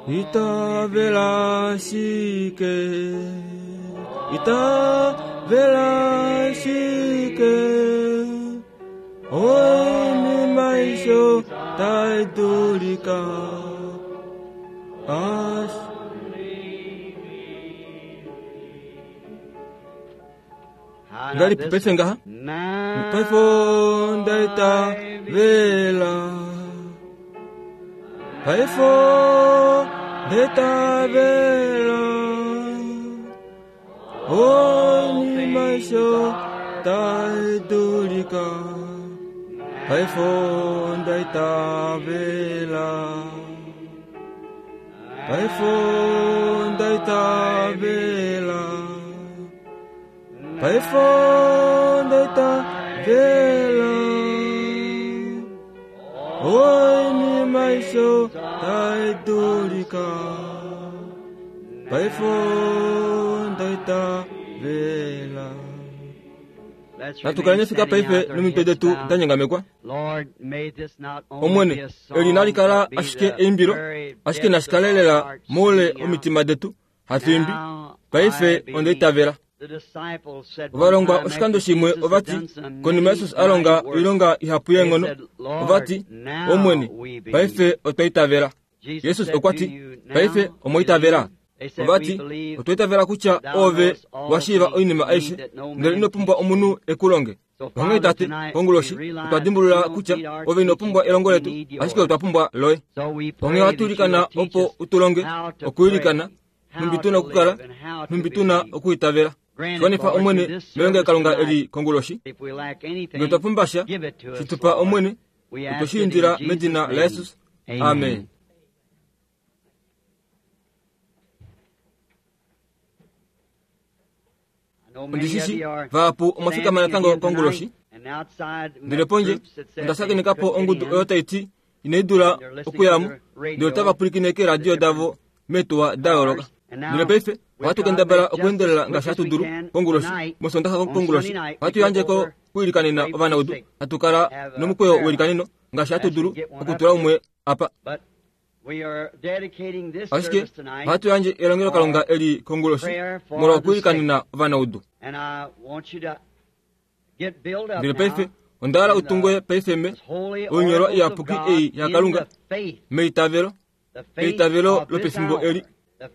Itavela shike, itavela shike, oinima aishe tai dulika. Ngalipi paife ngaha? Paife onda itavela. Paife onda itavela. Oinima aishe tai dulika. Paife onda itavela. Paife onda itavela. Paife onda itavela. Oinima aishe tai dulika. Paife onda itavela. Natu kaleni fika paife nomitwe detu da nyengamekwa. Omwene, eli nali kala ashike eimbilo, ashike nashi kale lela moule omitima detu, hatu imbi. Paife onda itavela. Ovalongwa oshikando shimwe ovati, konima Jesus a longa oilonga ihapu yeenghono, ovati, Omwene, paife otwa itavela. Jesus okwa ti, Paife omwa itavela. Ovati, otwa itavela kutya ove wa shiiva oinima aishe, ndele ino pumbwa omunhu e ku longe. Onghee Tate, konguloshi, otwa dimbulula kutya ove ino pumbwa elongo letu, ashike otwa pumbwa loye. Onghee ohatu ilikana opo u tu longe okwiilikana, nhumbi tu na okukala, nhumbi tu na okwiitavela. Shwanifa Omwene melongelokalunga eli konguloshi. Ngee otwa pumbwa sha, shi tu pa Omwene, otwe shi indila medina laJesus. Amen. Ondi shi shi, vahapu omwa fikama natango konguloshi. Ndele pondje, onda shakeneka po ongudu oyo tai ti inai dula okuya mo, ndele otava pwilikine keeradio davo meetuwa da yooloka. Ndele paife ohatu kendabala okuendelela ngaashi hatu dulu konguloshi, mOsoondaxa konguloshi. Ohatu yandje ko kuilikanena ovanaudu, hatu kala nomukweyo weilikaneno ngaashi hatu dulu okutula umwe apa. Ashike ohatu yandje elongelokalunga eli konguloshi molwa okwiilikanena ovanaudu. Ndele paife onda hala u tungwe paife me oinyolwa iyapuki ei yaKalunga meitavelo, eitavelo lopefimbo eli.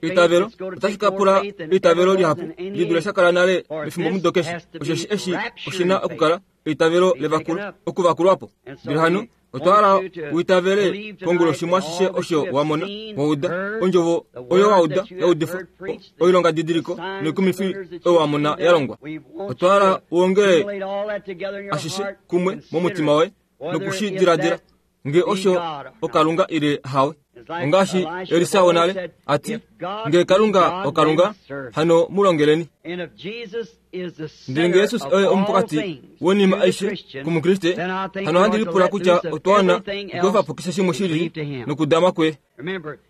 Eitavelo otashi ka pula eitavelo lihapu li dule sha kala nale mefimbomudo keshe, osheshi eshi oshi na okukala eitavelo levakulo, okuvakulwa po. Ndele hano otwa hala u itavele konguloshi mwashishe osho wa mona, wa uda, ondjovo oyo wa uda ya udifwa, oilongadidiliko noikumifi oyo wa mona ya longwa. Otwa hala u ongele ashishe kumwe momutima woye noku shi diladila nge osho oKalunga ile hawe. Ongaashi Elisa wonale a ti, Nge Kalunga oKalunga, hano mu longeleni. Ndele nge Jesus oye omupokati woinima aishe kOmukriste, hano ohandi lipula kutya otwa wana okweefa po keshe shimwe shi lili nokudama kuye.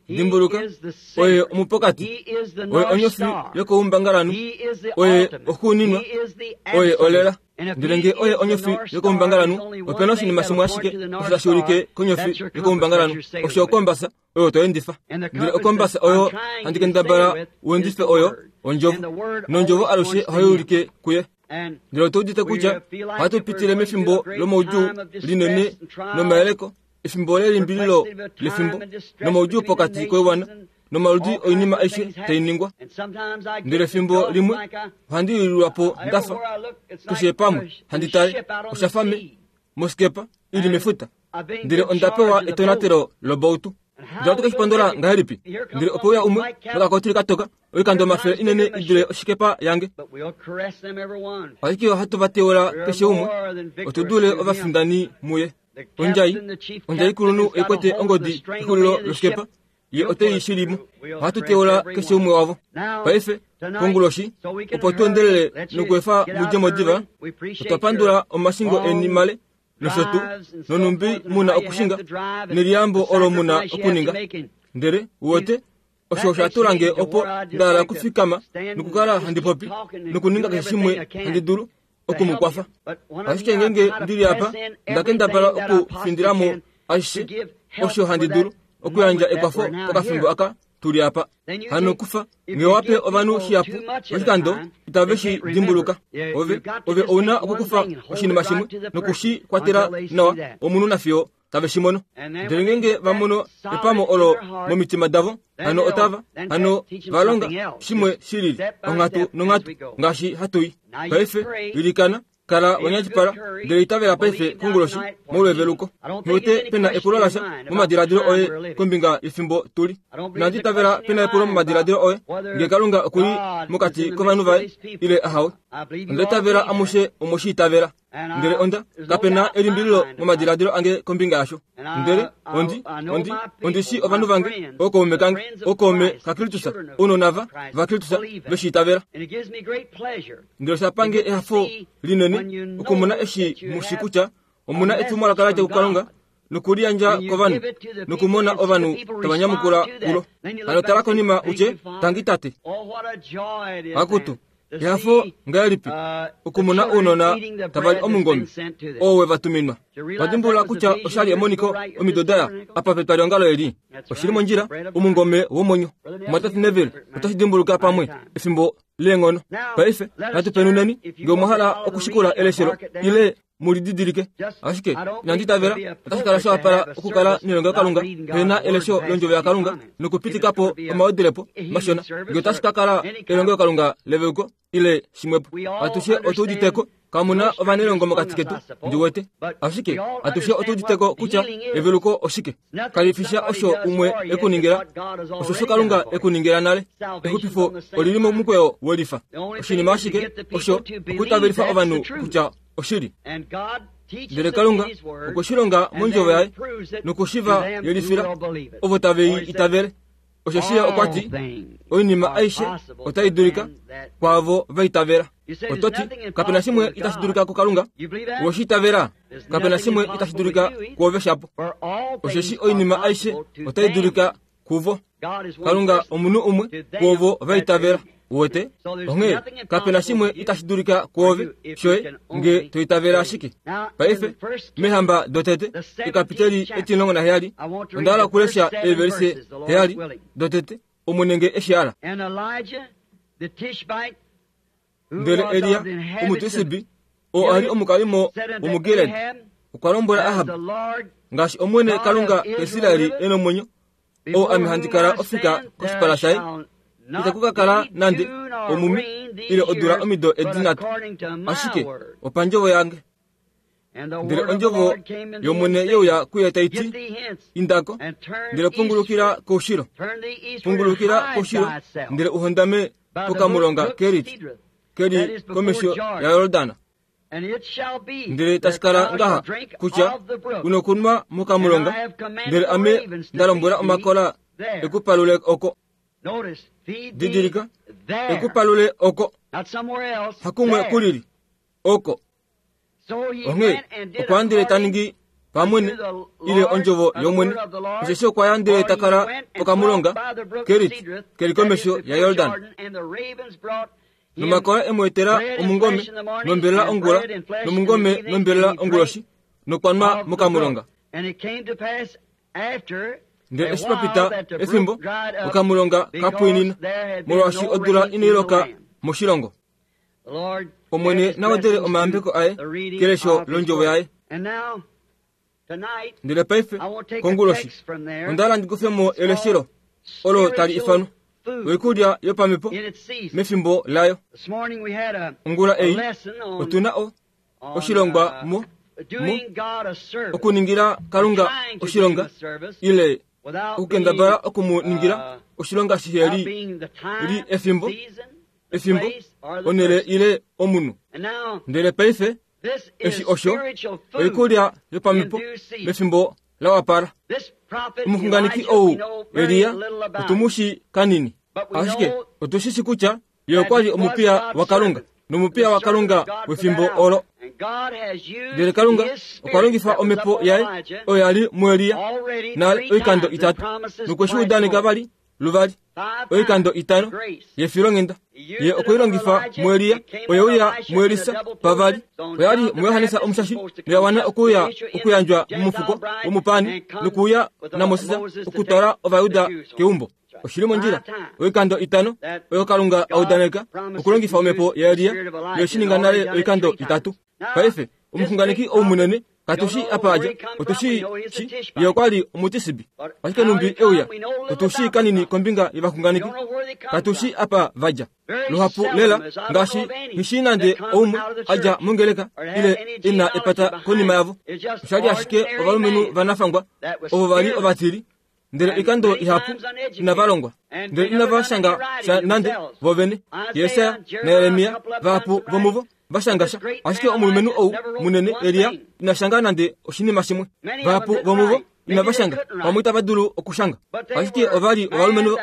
Dimbuluka, oye omupokati, oye onyofi yokoumbangalanhu, oye oxuuninwa, oye olela. Ndele nge oye onyofi yokoumbangalanhu, ope na oshinima shimwe ashike osho tashi ulike konyofi yokoumbangalanhu, osho okombasa oyo to endifa. Ndele okombasa oyo handi kendabala u endife oyo ondjovo, nondjovo alushe ohai ulike kuye. Ndele otu udite kutya ohatu pitile mefimbo lomaudjuu linene nomayeleko, efimbo lelimbililo lefimbo nomaudjuu pokati koiwana nomaludi oinima aishe tai ningwa. Ndele efimbo limwe ohandi lilwa po nda fa keshe pamwe handi tale osha fa me moskepa i li mefuta, ndele onda pewa etonatelo lobautu. Ndele ohatu ke shi pondola ngahelipi? Ndele ope uya umwe nokakotili ka toka, oikando omafele inene i dule oshikepa yange. Ashike ohatu va teula keshe umwe, otu dule ovafindani muye. Ondjai, ondjaikulunhu oi kwete ongodi kexulilo loskepa, ye ote i shili mo. Ohatu teula keshe umwe wavo. Paife, konguloshi, opo tu endelele nokuefa mu dje mo diva, otwa pandula omashingo eni male nosho tuu, nonhumbi mu na okushinga, neliyambo olo mu na okuninga. Ndele, uwete, osho osha tula nge opo nda hala okufikama nokukala handi popi nokuninga keshe shimwe handi dulu oku mu kwafa. Ashike ngeenge ndi li apa, nda kendabala okufindila mo ashishe osho handi dulu okuyandja ekwafo pokafimbo aka. tu li apa. Hano kufa, nge owa pe ovanhu shihapu oshikando, itave shi dimbuluka. Ove, ove ou na okukufa oshinima shimwe noku shi kwatela nawa omunhu nafiyo tave shi mono. Ndele ngeenge va mono epamo olo momitima davo, hano otava, hano va longa shimwe shi lili, onghatu nonghatu, ngaashi hatu i. Paife, ilikana, kala wa nyatipala, ndele itavela paife konguloshi molweveluko. Nghi pe na epulo lasha momadiladilo oye kombinga yefimbo tu li. Inandi itavela pe na epulo momadiladilo oye nge Kalunga oku li mokati kovanhu vaye ile ahawe. Onda itavela amushe omwe shi itavela. Ndele onda, kape na elimbililo momadiladilo ange kombinga yasho. Ndele ondi, ondi, ondi shi ovanhu vange, ookaume kange, ookaume kaKristus, ounona va, vaKristus, ve shi itavela. Ndele osha pange ehafo linene okumona eshi mu shi kutya omu na etumwalaka la dja kuKalunga nokuliyandja kovanhu nokumona ovanhu tava nyamukula kulo. Hano tala konima u tye, Tangi Tate. Akutu, ehafo ngahelipi okumona ounona tava li omungome oo we va tuminwa. Va dimbulula kutya osha li emoniko omido da ya apa petwaliongalo eli. Oshi li mondjila, omungome womwenyo. Mumwatate Neville otashi dimbuluka pamwe efimbo leenghono. Paife, natu penuneni, nge omwa hala okushikula eleshelo, ile mu lididilike. Ashike, inandi itavela, otashi kala sha wapala okukala nelongelokalunga pe na elesho lOndjovo yaKalunga nokupitika po omawedilepo mashona, nge otashi ka kala elongelokalunga leveuko, ile shimwepo. Atushe otu udite ko, kamu na ovanelongo mokati ketu, ndi wete. Ashike, atushe otu udite ko kutya eveluko oshike. Kali fi sha osho umwe e ku ningila, oshosho Kalunga e ku ningila nale. Exupifo oli li momukweyo welifa. Oshinima ashike osho okutavelifa ovanhu kutya oshili. Ndele Kalunga okwe shi longa mondjovo yaye noku shi va yelifila ovo tave i itavele. Osheshi ye okwa ti, Oinima aishe otai dulika kwaavo va itavela. Oto ti, Kape na shimwe itashi dulika kuKalunga? Owe shi itavela? Kape na shimwe itashi dulika kuove shapo. Osheshi oinima aishe otai dulika kuvo. Kalunga omunhu umwe kuovo va itavela. Uwete? Onghee kape na shimwe itashi dulika kuove, shoye, nge to itavele ashike. Paife, mEehamba dotete, ekapiteli etimulongo naheyali, onda hala okulesha eevelise heyali dotete, Omwene nge e shi hala. Ndele Elia, Omutisbi, oo a li omukalimo womuGilead, okwa lombwela Ahab, Ngaashi Omwene Kalunga kaIsrael e nomwenyo, oo ame handi kala ofika koshipala shaye, itaku ka kala nande omume ile odula omido edi nhatu, ashike opandjovo yange. Ndele ondjovo yOmwene ye uya kuye tai ti, Inda ko, ndele pungulukila koushilo, pungulukila koushilo, ndele u hondame pokamulonga Kerit, ke li komesho yaJordan. Ndele tashi kala ngaha kutya u nokunwa mokamulonga, ndele ame nda lombwela omakola e ku palule oko. Didilika, e ku palule oko, hakumwe ku lili, oko. Onghee okwa ndele ta ningi pamwene ile ondjovo yOmwene, osheshi okwa ya ndele ta kala pokamulonga Kerit ke li komesho yaJordan. Nomakola e mu etela omungome nombelela ongula, nomungome nombelela onguloshi, nokwa nwa mokamulonga. Ndele eshi pa pita efimbo, okamulonga ka pwiinina, molwaashi odula inai loka moshilongo. Omwene na wedele omayambeko aye kelesho londjovo yaye. Ndele paife, konguloshi, onda hala ndi kufe mo eleshelo olo tali ifanwa oikulya yopamhepo mefimbo layo. Ongula ei otu na o, oshilongwa mo, mo okuningila Kalunga oshilonga ile okukendabala oku mu ningila oshilonga shihe li, li efimbo efimbo, onhele ile omunhu. Ndele paife eshi osho oikulya yopamhepo mefimbo la wapala. Omuxunganeki ou Elia otu mu shi kanini, ashike otu shi shi kutya ye okwa li omupiya waKalunga nomupiya waKalunga wefimbo olo. Ndele Kalunga okwa longifa omhepo yaye oyo ya li muElia nale oikando itatu, nokwe shi udaneka vali luvali. Oikando itano yefilonghenda ye okwe i longifa muElia, oye uya muElisa pavali, oya li muJohannes Omushashi noya wana okuuya okuyandjwa momufuko womupaani nokuuya naMoses okutwala Ovajuda keumbo. Oshi li mondjila. Oikando itano oyo Kalunga a udaneka okulongifa omhepo yaElia, noye shi ninga nale oikando itatu. Paife, omuxunganeki ou munene, katu shii apa a dja, otu shii shi ye okwa li Omutisibi. Ashike numbi e uya, otu shii kanini kombinga yovaxunganeki, katu shii apa va dja. Luhapu lela, ngaashi nghi shii nande oumwe a dja mongeleka ile e na epata konima yavo. Osha li ashike ovalumenhu vanafangwa ovo va li ovatili ndele oikando ihapu inava longwa, ndele inava shanga sha nande vo vene. Jesaja naJeremia, vahapu vomuvo va shanga sha, ashike omulumenhu ou munene Elia ina shanga nande oshinima shimwe. Vahapu vomuvo inava shanga, pamwe itava dulu okushanga, ashike ova li ovalumenhu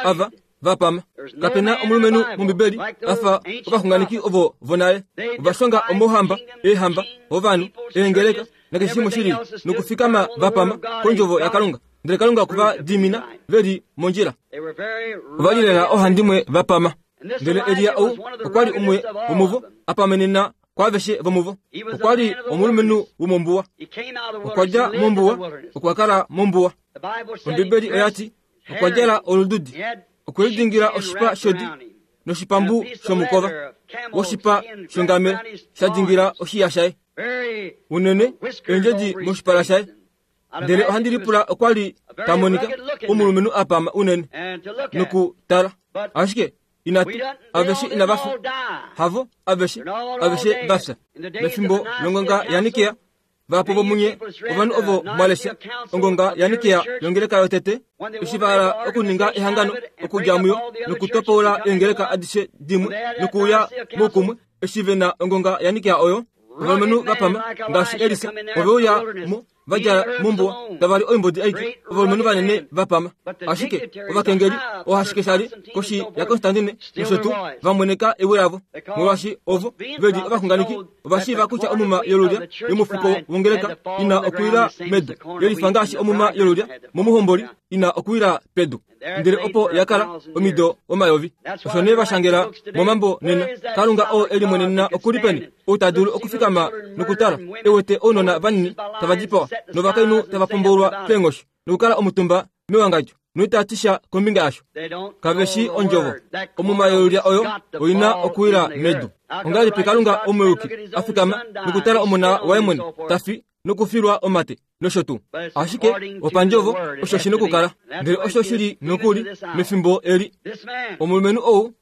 ava va pama. Kape na omulumenhu mOmbibeli a fa ovaxunganeki ovo vonale. Ova shonga omauhamba, eehamba, ovanhu, eengeleka nakeshe shimwe shi lili, nokufikama va pama kondjovo yaKalunga. Ndele Kalunga okwe va dimina ve li mondjila. Ova li lela ohandimwe va pama. Ndele Elia ou okwa li umwe womuvo, a pamenena kwaaveshe vomuvo. Okwa li omulumenhu womombuwa. Okwa dja mombuwa, okwa kala mombuwa. Ombibeli oya ti, Okwa djala olududi, okwe lidingila oshipa shodi noshipambu shomukova woshipa shongamelo sha dingila oshiya shaye. Unene eendjedi moshipala shaye. Ndele ohandi lipula okwa li ta monika omulumenhu a pama unene nokutala. Ashike inatu aveshe inava fya. Havo aveshe, aveshe va fya. Mefimbo longonga yaNikea, Vahapu vomunye ovanhu ovo mwa lesha ongonga yaNikea yongeleka yotete, eshi va hala okuninga ehangano okudja muyo nokutopoula eengeleka adishe dimwe nokuuya moukumwe, eshi ve na ongonga yaNikea oyo, ovalumenhu va pama ngaashi Elisa ove uya mo va dja mombuwa tava li oimbodi aike, ovalumenhu vanene va pama. Ashike ovakengeli, oohashike sha li koshi yaKonstantine nosho tuu, va mweneka ewi lavo, molwaashi ovo ve li ovaxunganeki Ova shiiva kutya omuma yolulya yomufuko wongeleka ina okuwila medu, ye lifa ngaashi omuma yolulya momuhomboli ina okuwila pedu. Ndele opo ya kala omido omayovi. Osho nee va shangela momambo nena, Kalunga oo e limwenenena oku li peni, ou ta dulu okufikama nokutala, e wete ounona vanini tava dipawa novakainhu tava pomboulwa keenghoshi, nokukala omutumba mewangadjo noita ti sha kombinga yasho. Kave shii ondjovo. Omuma yolulya oyo oi na okuwila medu. Ongahelipi Kalunga omuyuki a fikama nokutala omona waye mwene ta fi nokufilwa omate nosho tuu? Ashike opandjovo osho shi nokukala. Ndele osho shi li nokuli mefimbo eli. Omulumenhu ou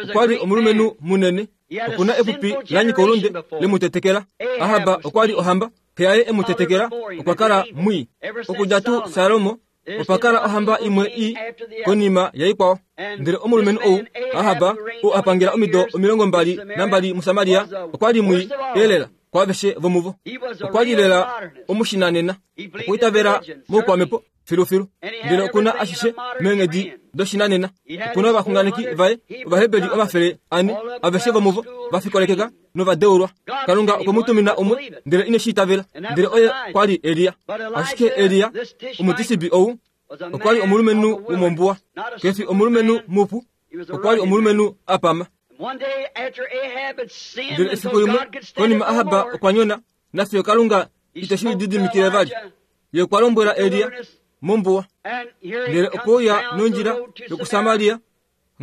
okwa li omulumenhu munene. Oku na epupi la nyika oulunde le mu tetekela. Ahab okwa li ohamba, xe yaye e mu tetekela okwa kala mwii. Okudja tuu Salomo opa kala ohamba imwe i konima yaikwao. Ndele omulumenhu ou, Ahab, ou a pangela omido 22 muSamaria, okwa li mwii elela kwaaveshe vomuvo. Okwa li lela omushinanena. Okwa itavela moukwamhepo filufilu. Ndele oku na ashishe meenghedi doshinanena. Oku na ovaxunganeki vaye Ovaheberi 400, aveshe vomuvo va fikolekeka nova deulwa. Kalunga okwe mu tumina umwe, ndele ine shi itavela, ndele oye kwa li Elia. Ashike Elia, Omutisibi ou, okwa li omulumenhu womombuwa. Ke fi omulumenhu mupu, okwa li omulumenhu a pama. Ndele efiku limwe, konima Ahab okwa nyona, nafiyo Kalunga ite shi lididimikile vali, Ye okwa lombwela Elia mombuwa, ndele okwe uya nondjila yokuSamaria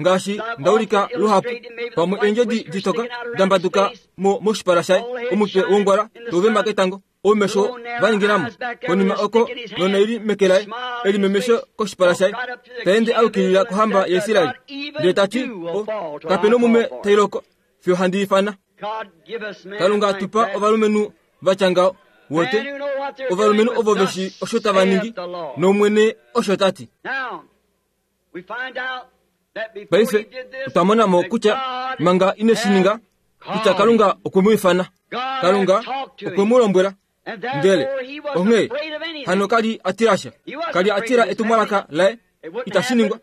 ngaashi nda ulika luhapu, pamwe eendjedi ditoka da mbaduka mo moshipala shaye, omutwe wongwala tau vema ketango, oumesho va ningina mo. Konima oko nonaili meke laye, elimemesho koshipala shaye, ta ende a yukilila kohamba yaIsrael, ndele ta ti, O, kape nomume tai loko, fiyo handi ifana. Kalunga tu pa ovalumenhu va tya ngaho. Wote, ovalumenhu ovo ve shi osho tava ningi, nOmwene osho ta ti. Paife otwa mona mo kutya manga ine shi ninga, kutya Kalunga okwe mu ifana. Kalunga okwe mu lombwela. Ndele onghee hano ka li a tila sha. Ka li a tila etumwalaka laye. Itashi ningwa.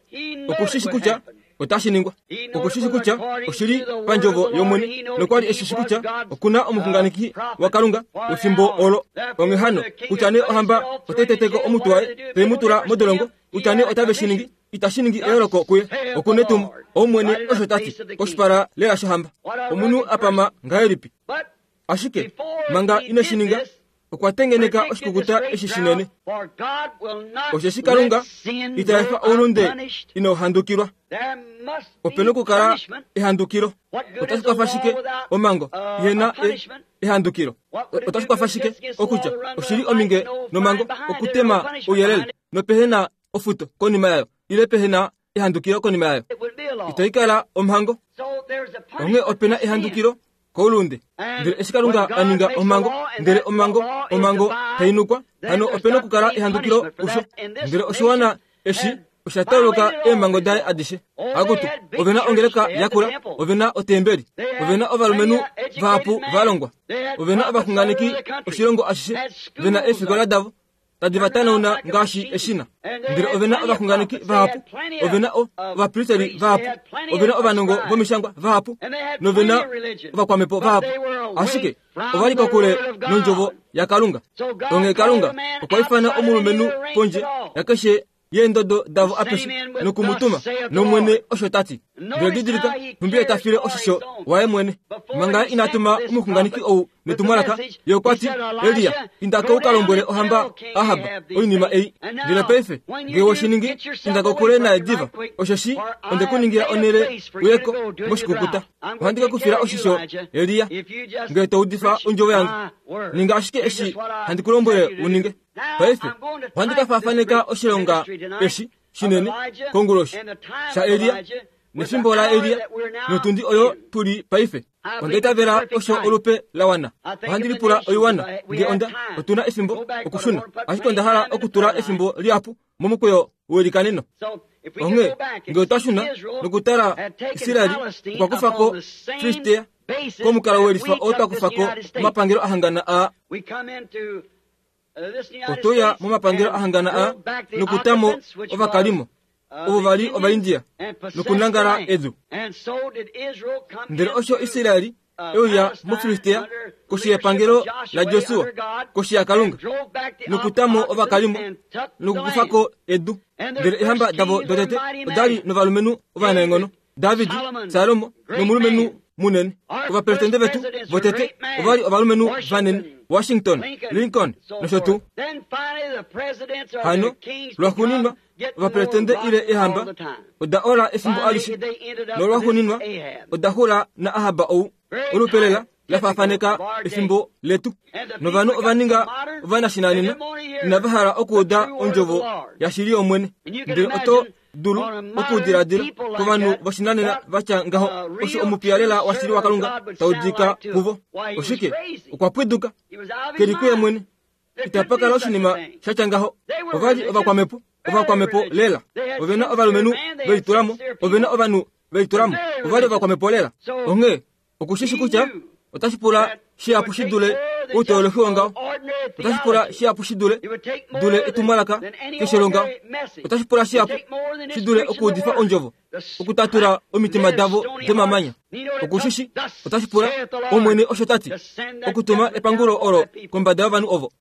Oku shi shi kutya otashi ningwa. Oku shi shi kutya oshi li pandjovo yOmwene, nokwa li e shi shi kutya oku na omuxunganeki waKalunga wefimbo olo. Onghee hano, kutya nee ohamba otai tete ko omutwe waye, tai mu tula modolongo, kutya nee otave shi ningi, Itashi ningi eyooloko kuye. Oku netumo. Omwene osho ta ti, koshipala lela shohamba. Omunhu a pama ngahelipi! Ashike, manga ine shi ninga, okwa tengeneka oshikukuta eshi shinene. Osheshi Kalunga ita efa oulunde inau handukilwa. Ope nokukala ehandukilo. Otashi kwafa shike omhango ihe na e, ehandukilo? Otashi kwafa shike okutya oshi li ominge nomhango okutema ouyelele nopehe na ofuto konima yayo ile pehe na ehandukilo konima yayo? Itai kala omhango. Onghee ope na ehandukilo koulunde. Ndele eshi Kalunga a ninga omhango, ndele omhango, omhango tai nukwa, hano ope nokukala ehandukilo kusho. Ndele oshiwana eshi osha tauluka eemhango daye adishe. Akutu, ove na ongeleka yakula, ove na otembeli, ove na ovalumenhu vahapu va longwa, ove na ovaxunganeki oshilongo ashishe, ve na eefikola davo tadi va tanauna ngaashi eshina. Ndele ove na ovaxunganeki vahapu, ove na ovapristeri vahapu, ove na ovanongo vomishangwa vahapu, nove na ovakwamhepo vahapu. Ashike ova li kokule nondjovo yaKalunga. Onghee Kalunga okwa ifana omulumenhu pondje yakeshe yeendodo davo apeshe noku mu tuma, nOmwene osho ta ti. Ndele didilika nhumbi ye ta file oshisho waye mwene. Manga ye ina tuma omuxunganeki ou netumwalaka, ye okwa ti, Elia, inda ko u ka lombwele ohamba Ahab oinima ei. Ndele paife, nge we shi ningi, inda kokule naye diva, osheshi onde ku ningila onhele u ye ko moshikukuta. Ohandi ke ku fila oshisho, Elia, nge to udifa ondjovo yange. Ninga ashike eshi handi ku lombwele u ninge. Paife, ohandi ka faafaneka oshilonga eshi shinene konguloshi shaElia nefimbo laElia notundi oyo tu li paife. Onda itavela osho olupe la wana. Ohandi lipula oiwana nge onda otu na efimbo okushuna, ashike onda hala okutula efimbo lihapu momukweyo welikaneno. Onghee nge otwa shuna nokutala Israel okwa kufa ko Filistea komukalo welifa oo twa kufa ko omapangelo ahangana aa. Otwe uya momapangelo a hangana a nokuta mo ovakalimo ovo va li Ovaindia nokunangala edu. Ndele osho Israel e uya muFilistea koshi yepangelo laJosua, koshi yaKalunga, nokuta mo ovakalimo nokukufa ko edu. Ndele eehamba davo dotete oda li novalumenhu ovanaenghono, David, Salomo nomulumenhu munene. Ovapresidente vetu votete ova li ovalumenhu vanene, Washington, Lincoln nosho tuu. Hano, lwaxuuninwa, ovapresidente ile eehamba oda ola efimbo alishe, nolwaxuuninwa oda xula naAhab ou. Olupe lela la faafaneka efimbo letu. Novanhu ova ninga ovanashinanena, inava hala okuuda ondjovo yashili yOmwene. Ndele oto dulu okudiladila kovanhu voshinanena va tya ngaho osho omupiya lela washili waKalunga ta udika kuvo. Oshike? Okwa pwiduka. Ke li kuye mwene. Itapa kala oshinima sha tya ngaho. Ova li ovakwamhepo, ovakwamhepo lela. Ove na ovalumenhu ve litula mo. Ove na ovanhu ve litula mo. Ova li ovakwamhepo lela. Onghee oku shi shi kutya otashi pula shihapu shi dule outeolohi wongaho. Otashi pula shihapu shi dule, dule etumwalaka keshe longaho. Otashi pula shihapu shi dule okuudifa ondjovo, okutatula omitima davo domamanya. Oku shi shi otashi pula, Omwene osho ta ti, okutuma epangulo olo kombada yovanhu ovo.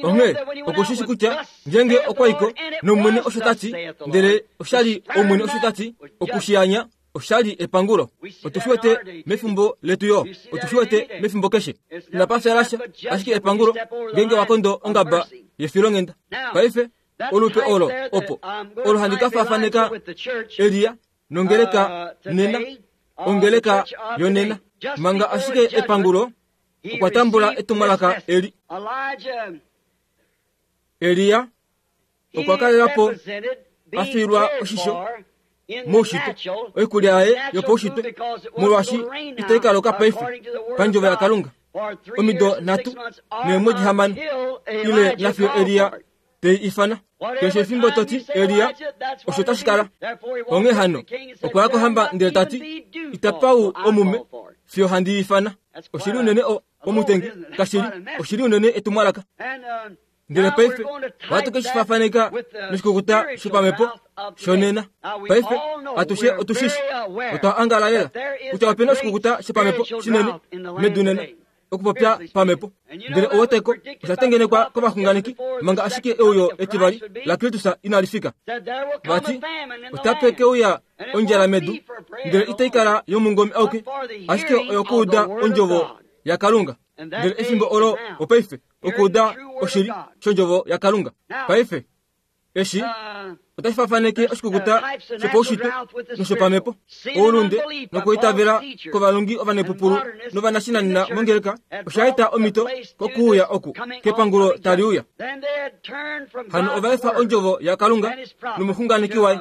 Onghee oku shi shi kutya ngeenge okwa i ko nOmwene osho ta ti, ndele osha li Omwene osho ta ti, oku shi anya osha li epangulo. Otu shi wete mefimbo letu yo. Otu shi wete mefimbo keshe. Inapa fya lasha, ashike epangulo ngeenge wa kondo ongaba yefilonghenda. Paife, olupe olo opo olo handi ka faafaneka Elia nongeleka nena, ongeleka yonena. Manga ashike epangulo, okwa tambula etumwalaka eli. Elia okwa kalela po a fiilwa oshisho moushitwe oikulya yaye yopaushitwe molwaashi itai ka loka paife pandjovo yaKalunga omido nhatu neemwedi hamano ile nafiyo Elia te i ifana. Keshe efimbo to ti Elia, osho tashi kala. Onghee hano, okwa ya kohamba ndele ta ti, Itapa u omume fiyo handi i ifana. Oshi li unene o, omutengi, kashi li, oshi li unene etumwalaka. Ndele paife ohatu ke shi faafaneka noshikukuta shopamhepo shonena. Paife atushe otu shi shi, otwa angala lela kutya ope na oshikukuta shopamhepo shinene medu nena. Okupopya pamhepo. Ndele oweteko osha tengenekwa kovaxunganeki manga ashike euyo etivali laKristus inali fika. Vati, otape ke uya ondjala medu, ndele itai kala yomungome auke, ashike oyokuuda ondjovo yaKalunga. Ndele efimbo olo opaife, okuuda oshili shondjovo yaKalunga. Paife, Eshi otashi fafaneke oshikukuta shopaushitwe noshopamhepo, oulunde nokwiitavela kovalongi ovanepupulu novanashinanena mongeleka osha eta omhito kokuuya oku kepangulo tali uya. Hano ova efa ondjovo yaKalunga nomuxunganeki waye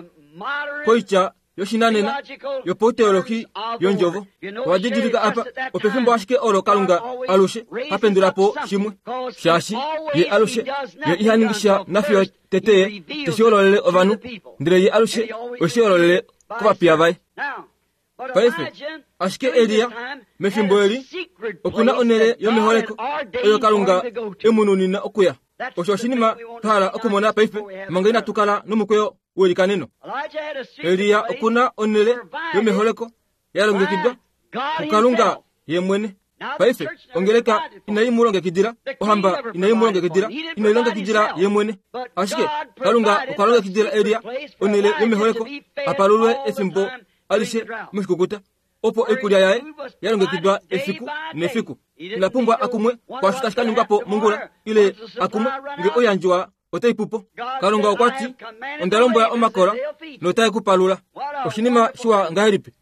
koitya yoshinanena yopauteolohi yondjovo. Owa didilika apa, opefimbo ashike olo Kalunga alushe ha pendula po shimwe, shaashi Ye alushe, Ye iha ningi sha nafiyo tete Ye te shi hololele ovanhu, ndele Ye alushe ohe shi hololele kovapiya vaye. Paife, ashike Elia, mefimbo eli, oku na onhele yomeholeko oyo Kalunga e mu nunina okuya. Osho oshinima twa hala okumona paife, manga inatu kala nomukweyo welikaneno. Elia oku na onhele yomeholeko ya longekidwa kuKalunga ye mwene. Paife, ongeleka inai mu longekidila, ohamba inai mu longekidila, inai longekidila ye mwene. Ashike Kalunga okwa longekidila Elia onhele yomeholeko a palulwe efimbo alishe moshikukuta. opo oikulya yaye ya longekidwa efiku nefiku. Ina pumbwa a kumwe kwaasho tashi ka ningwa po mongula, ile a kumwe nge oiyandjiwa otai pu po. Kalunga okwa ti, Onda lombwela omakola notae ku palula. Oshinima shiwa ngahelipi!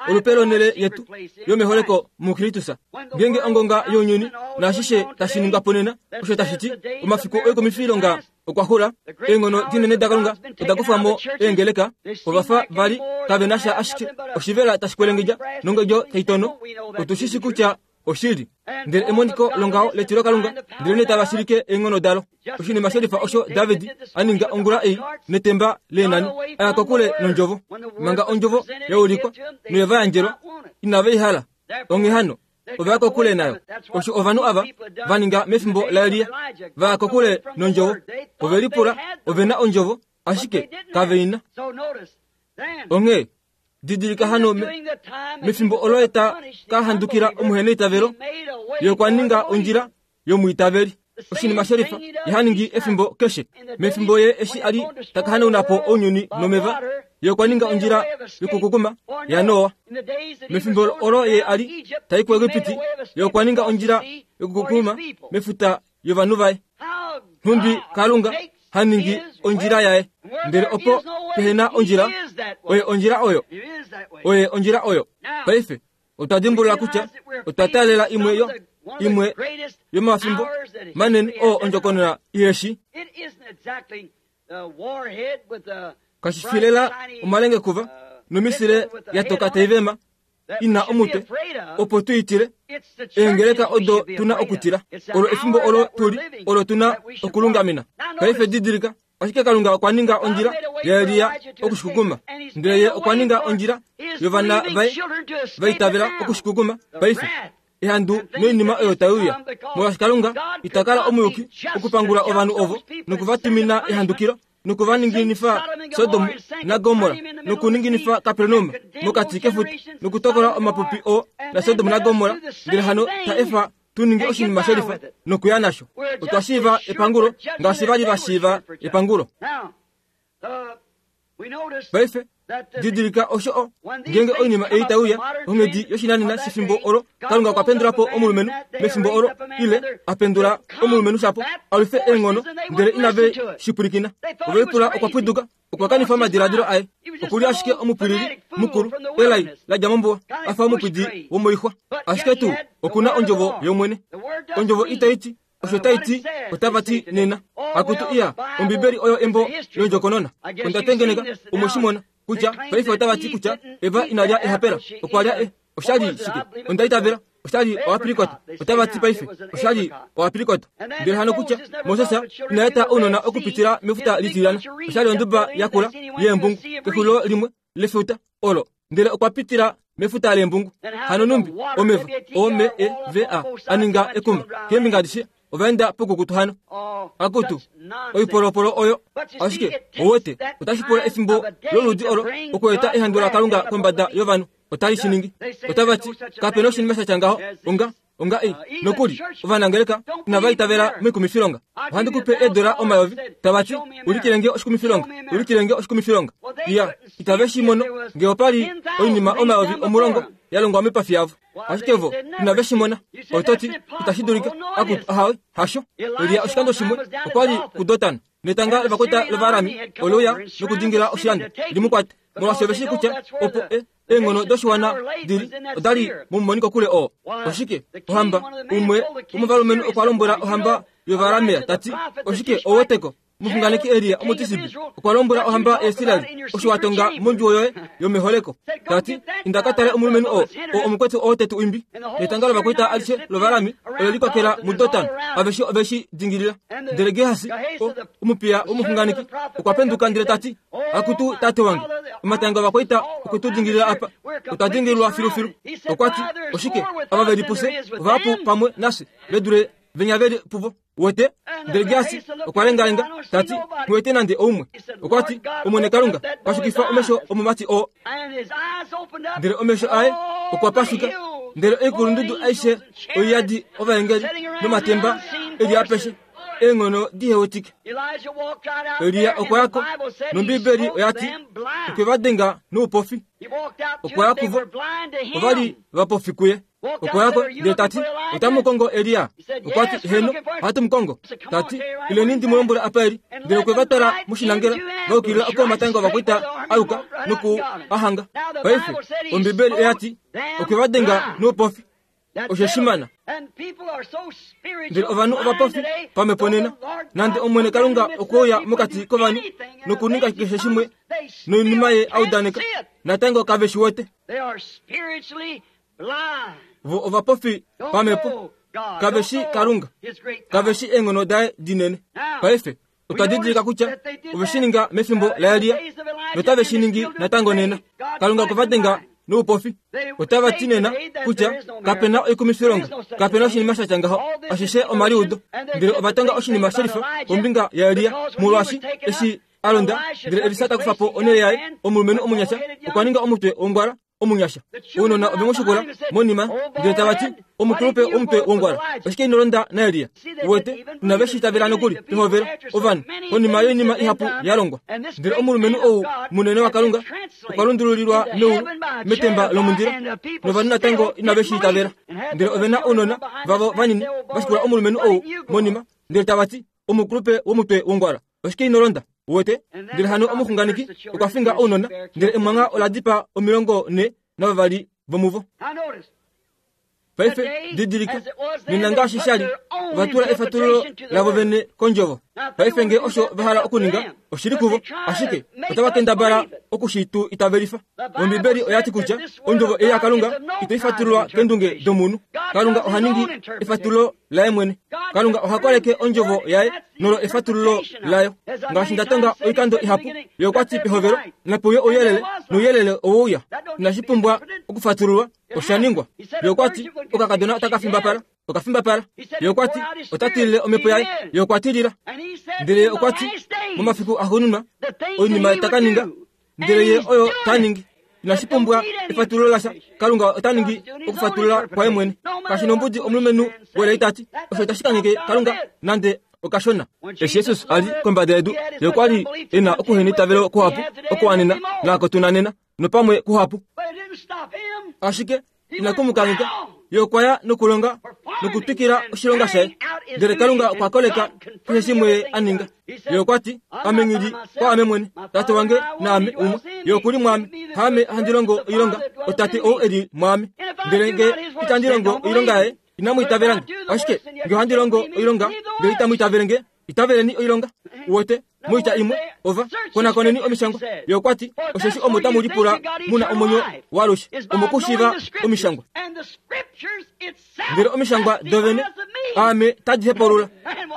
Olupe lonhele yetu yomeholeko muKristus. Ngeenge ongonga younyuni naashishe tashi ningwa po nena, osho tashi ti omafiku oikumifilonga okwa xula, eenghono dinene daKalunga oda kufwa mo eengeleka, ova fa va li kave na sha ashike oshivela tashi kwelengedja nongedjo tai tono. Otu shi shi kutya oshili. Ndele emoniko longaho letilokalunga, ndelenee tava shilike eenghono dalo. Oshinima shelifa osho David a ninga ongula ei netemba leenani, a ya kokule nondjovo. Manga ondjovo ya ulikwa noye va yandjelwa, inave i hala. Onghee hano, ova ya kokule nayo. Osho ovanhu ava va ninga mefimbo laElia, va ya kokule nondjovo. Ove lipula ove na ondjovo, ashike kave i na. Onghee didilika hano mefimbo olo ye ta ka handukila omuheneitavelo, ye okwa ninga ondjila yomwiitaveli. Oshinima shelifa ye ha ningi efimbo keshe. Mefimbo ye eshi a li ta ka hanauna po ounyuni nomeva, ye okwa ninga ondjila yokukukuma yaNoa. Mefimbo olo ye a li ta i kuEgipiti, ye okwa ninga ondjila yokukukuma mefuta yovanhu vaye. Nhumbi Kalunga ha ningi ondjila yaye, ndele opo pehe na ondjila, oye ondjila oyo. Oye ondjila oyo. Paife, Otwa dimbulula kutya otwa taalela imwe yo imwe yomafimbo manene oo ondjokonona iheshi. Kashi fi lela omalengekuva nomisile ya toka tai vema i na omutwe opo tu i tile. Eengeleka odo tu na okutila. Olo efimbo olo tu li, olo tu na okulungamena. Paife didilika, Ashike Kalunga okwa ninga ondjila yaElia okushikukuma, ndele ye okwa ninga ondjila yovana vaye va itavela okushikukuma paife. Ehandu noinima oyo tai uya, molwaashi Kalunga ita kala omuyuki okupangula ovanhu ovo noku va tumina ehandukilo noku va ninginifa Sodom naGomorra nokuninginifa Kapernaum mokati kefuta nokutokola omapupi oo naSodom naGomorra, ndele hano ta efa tu ninge oshinima shelifa nokuya nasho. Otwa shiiva epangulo ngaashi va li va shiiva epangulo. Paife, didilika osho o, ngeenge oinima ei tai uya, onghedi yoshinanena shefimbo olo, Kalunga okwa pendula po omulumenhu mefimbo olo, ile a pendula omulumenhu shapo, a lwife eenghono, ndele inave shi pwilikina. Ove lipula okwa pwiduka Okwa kanifa omadiladilo aye. Oku li ashike omupwilili mukulu, elai la dja mombuwa, a fa omupwidi womoixwa. Ashike tuu, oku na Ondjovo yOmwene. Ondjovo itai ti osho tai ti, otava ti nena. Akutu iya, Ombibeli oyo embo londjokonona. Onda tengeneka, omwe shi mona, kutya paife otava ti kutya Eva ina lya ehapela, okwa lya e. Osha li shike? Onda itavela osha li oaprikot. Otava ti paife osha li oaprikot. Ndele hano kutya Moses ina eta ounona okupitila mefuta litilyana, osha li onduba yakula yeembungu kexulilo limwe lefuta olo, ndele okwa pitila mefuta leembungu. Hano numbi omeva O-M-E-V-A a ninga ekuma keembinga adishe ova enda poukukutu hano. Akutu, oipolopolo oyo! Ashike, ouwete, otashi pula efimbo loludi olo okweeta ehandu laKalunga kombada yovanhu. Otali shi ningi. Otava ti, Kape noshinima sha tya ngaho onga. Onga ei, nokuli, ovanangeleka inava itavela moikumifilonga. Ohandi ku pe eedola omayovi, tava ti, Ulikile nge oshikumifilonga! Ulikile nge oshikumifilonga! Iya, itave shi mono, nge opa li oinima 10,000 ya longwa moipafi yavo. Ashike vo inave shi mona. Oto ti, Itashi dulika. Akutu, ahawe, hasho. Elia oshikando shimwe okwa li kuDotan, netanga lovakwaita lOvaarami ole uya nokudingila oshilando, li mu kwate, molwaashi ove shii kutya opo e, eenghono doshiwana di li oda li momumoniko kule oo. Oshike? Ohamba, umwe womovalumenhu okwa lombwela ohamba yOvaaramea ta ti, Oshike ou weteko? Omuxunganeki Elia Omutisibi okwa lombwela ohamba yaIsrael osho wa tonga mondjuwo yoye yomeholeko, ta ti, Inda ka tale omulumenhu oo, oo omukwetu oo te tu imbi. Netanga lovakwaita alishe lOvaarami ole likwakela muDotan, aveshe ove shi dingilila. Ndele Gehasi, omupiya womuxunganeki, okwa penduka ndele ta ti, Akutu tate wange, omatanga ovakwaita okwe tu dingilila apa, otwa dingililwa filufilu. Okwa ti, Oshike ava ve li pufye ovahapu pamwe nafye ve dule venya ve li puvo? Wete? Ndele Gehasi okwa lengalenga, ta ti, Nghi wete nande oumwe. Okwa ti, Omwene Kalunga, pashukifa omesho omumati oo. Ndele omesho aye okwa pashuka, ndele oikulundudu aishe oiyadi ovaengeli nomatemba e li apeshe, eenghono di hewetike. Elia okwa ya ko, nOmbiibeli oya ti, okwe va denga noupofi. Okwa ya kuvo, ova li vapofi kuye. Okwa ya ko ndele ta ti, Otamu kongo Elia? Okwa ti, Heeno, ohatu mu kongo. Ta ti, Ileni ndi mu lombwele apa e li. Ndele okwe va twala moshinangela, va yukilila oko omatanga ovakwaita a yuka noku a hanga. Paife, Ombibeli oya ti, Okwe va denga noupofi. Osho shimana. Ndele ovanhu ovapofi pamhepo nena, nande Omwene Kalunga okwe uya mokati kovanhu nokuninga keshe shimwe noinima ye a udaneka, natango kave shi wete. Vo ovapofi pamhepo, kave shi Kalunga, kave shi eenghono daye dinene. Paife otwa didilika kutya ove shi ninga mefimbo laElia notave shi ningi natango nena. Kalunga okwe va denga noupofi. Otava ti nena kutya kape na oikumifilonga, kape na oshinima sha tya ngaho, ashishe omaliudo. Ndele ova tonga oshinima shelifa kombinga yaElia, molwaashi eshi a londa ndele Elisa ta kufa po onhele yaye, omulumenhu omunyasha okwa ninga omutwe wongwala omunyasha. Ounona ove mu shikula monima ndele tava ti, Omukulupe womutwe wongwala, oshike ino londa naElia? Uwete, inave shi itavela nokuli pehovelo, ovanhu, konima yoinima ihapu ya longwa. Ndele omulumenhu ou munene waKalunga okwa lundululilwa meulu metemba lomundilo, novanhu natango inave shi itavela. Ndele ove na ounona vavo vanini va shikula omulumenhu ou monima, ndele tava ti, Omukulupe womutwe wongwala, oshike ino londa? Uwete? Ndele hano omuxunganeki okwa finga ounona, ndele emwangha ola dipaa 42 vomuvo. Paife didilika, nena ngaashi sha li, ova tula efatululo lavo vene kondjovo. Paife nge osho va hala okuninga, oshi li kuvo, ashike otava kendabala oku shi tu itavelifa. Ombibeli oya ti kutya ondjovo ei yaKalunga itai fatululwa kendunge domunhu. Kalunga oha ningi efatululo laye mwene. Kalunga oha koleke ondjovo yaye nolo efatululo layo. Ngaashi nda tonga oikando ihapu, ye okwa ti pehovelo, Nape uye ouyelele, nouyelele owe uya. Inashi pumbwa okufatululwa, osha ningwa. Ye okwa ti, Okakadona otaka fimbapala, oka fimbapala. Ye okwa ti, Ota tilile omhepo yaye. Ye okwa tilila. Ndele ye okwa ti, Momafiku axuuninwa, oinima ta ka ninga, ndele ye oyo ta ningi. Inashi pumbwa efatululo lasha. Kalunga ota ningi okufatulula kwaye mwene. Kashi nombudi omulumenhu welai ta ti, Osho itashi kangheke Kalunga nande okashona. Eshi Jesus a li kombada yedu, ye okwa li e na okuheneitavelo kuhapu okuwanena naako tu na nena, nopamwe kuhapu. Ashike inaku mu kangheka, ye okwa ya nokulonga nokutwikila oshilonga shaye. Ndele Kalunga okwa koleka keshe shimwe ye a ninga. Ye okwa ti, Ame nghi li kwaame mwene, Tate wange naame umwe. Ye oku li mwaame. Haame handi longo oilonga, oTate ou e li mwaame. Ndele nge itandi longo oilonga yaye, inamu itavela nge. Ashike nge ohandi longo oilonga, ndele itamu itavele nge, itaveleni oilonga. Uwete, moitya imwe, ova konakoneni omishangwa. Ye okwa ti, Osheshi omo tamu lipula mu na omwenyo waalushe, omokushiiva omishangwa. Ndele omishangwa dovene, aame tadi hepaulula.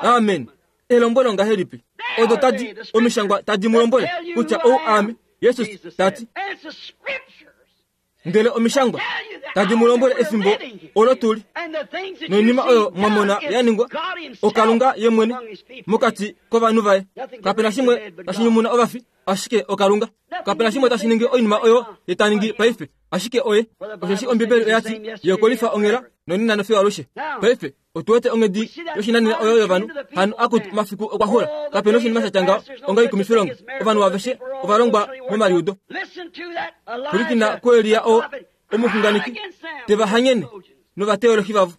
Amen. Elombwelo ngahelipi odo tadi omishangwa tadi mu lombwele kutya ou aame, Jesus ta ti. Ndele omishangwa tadi mu lombwele efimbo olo tu li noinima oyo mwa mona ya ningwa, oKalunga ye mwene mokati kovanhu vaye. Kape na shimwe tashi nyumuna ovafi, ashike oKalunga. Kape na shimwe tashi ningi oinima oyo ye ta ningi paife, ashike oye. Osheshi Ombibeli oya ti, Ye okwe lifa onghela. nonena nofiyo alushe. Paife otu wete onghedi yoshinanena oyo yovanhu hano akutu omafiku okwa xula. Kape noshinima sha tya ngaho onga oikumifilonga. Ovanhu aveshe ova longwa momaliudo. Pwilikina kuElia oo omuxunganeki te va hanyene novateolohi vavo.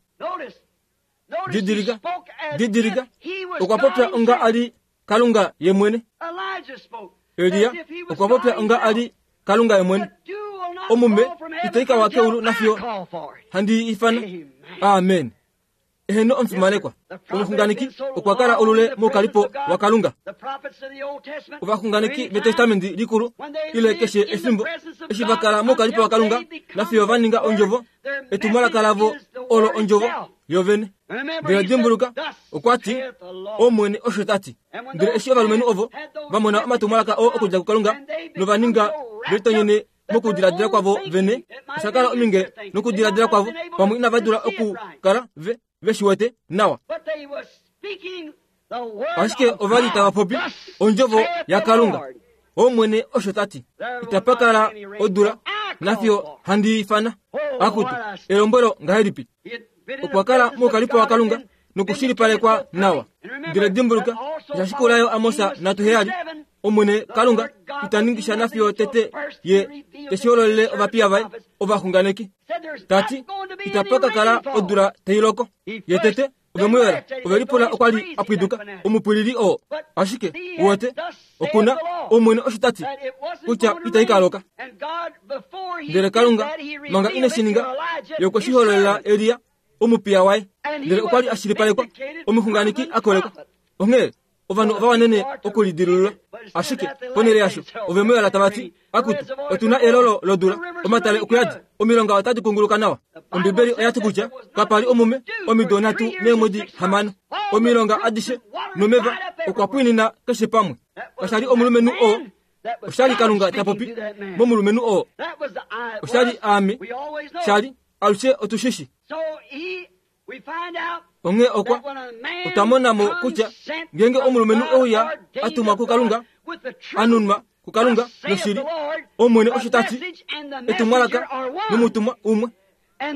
Didilika, didilika, okwa popya onga a li Kalunga ye mwene. Elia okwa popya onga a li Kalunga ye mwene. Omume itai ka wa keulu nafiyo handi i ifana. Amen. Eheno omufimanekwa. Omuxunganeki okwa kala olule moukalipo waKalunga. Ovaxunganeki vEtestamenti Likulu ile keshe efimbo eshi va kala moukalipo waKalunga nafiyo va ninga ondjovo etumwalaka lavo olo ondjovo yovene. Ndele dimbuluka, okwa ti, Omwene osho ta ti. Ndele eshi ovalumenhu ovo va mona omatumwalaka oo okudja kuKalunga nova ninga velitonyene mokudiladila kwavo vene, osha kala ominge nokudiladila kwavo, pamwe inava dula okukala ve ve shi wete nawa. Ashike ova li tava popi ondjovo yaKalunga. Omwene osho ta ti, itapa kala odula nafiyo handi ifana. Akutu, elombwelo ngahelipi! Okwa kala moukalipo waKalunga nokushilipalekwa nawa. Ndele dimbuluka, osha shikula yo Amos 3:7, Omwene Kalunga ita ningi sha nafiyo tete ye te shi hololele ovapiya vaye ovaxunganeki. Ta ti, itapa ka kala odula tai loko. Ye tete ove mu yola, ove lipula okwa li a pwiduka omupwilili oo. Ashike, uwete, oku na Omwene osho ta ti, kutya itai ka loka. Ndele Kalunga, manga ine shi ninga, Ye okwe shi hololela Elia, omupiya waye. Ndele okwa li a shilipalekwa, omuxunganeki a kolekwa. Onghee ovanhu ova wanene okulidilulula. Ashike, ponhele yasho, ove mu yola tava ti, Akutu, otu na elolo lodula, omatale okuyadi, omilonga otadi kunguluka nawa. Ombibeli oya ti kutya kapa li omume omido nhatu neemwedi hamano. Omilonga adishe nomeva okwa pwiinina keshe pamwe. Kasha li omulumenhu oo, osha li Kalunga ta popi momulumenhu oo. Osha li aame, sha li, alushe otu shi shi. Onghee okwa otwa mona mo kutya ngeenge omulumenhu e uya a tumwa kuKalunga, a nunwa kuKalunga noshili, Omwene osho ta ti, etumwalaka nomutumwa umwe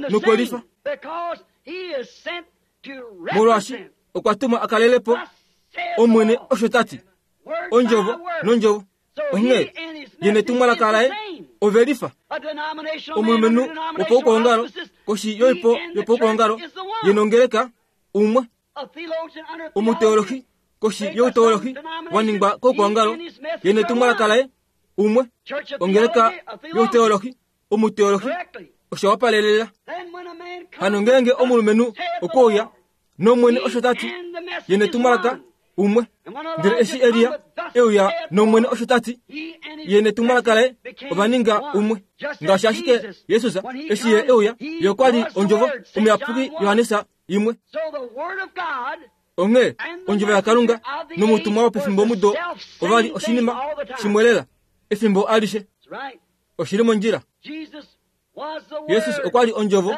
nokwe lifa, molwaashi okwa tumwa a kalele po Omwene osho ta ti, ondjovo nondjovo. Onghee ye netumwalaka laye ove lifa. Omulumenhu wopaukwaongalo koshi yoipo yopaukwaongalo ye nongeleka umwe. Omuteolohi koshi youteolohi wa ningwa koukwaongalo ye netumwalaka laye umwe. Ongeleka youteolohi, omuteolohi, osha wapalelela. Hano ngeenge omulumenhu okwe uya nOmwene osho ta ti, ye netumwalaka umwe. Ndele eshi Elia e uya nOmwene osho ta ti, ye netumwalaka laye ova ninga umwe. Ngaashi ashike Jesus eshi ye e uya, ye okwa li ondjovo, omuyapuki Johannes imwe. Onghee ondjovo yaKalunga nomutumwa wopefimbomudo ova li oshinima shimwe lela efimbo alishe. Oshi li mondjila. Jesus okwa li ondjovo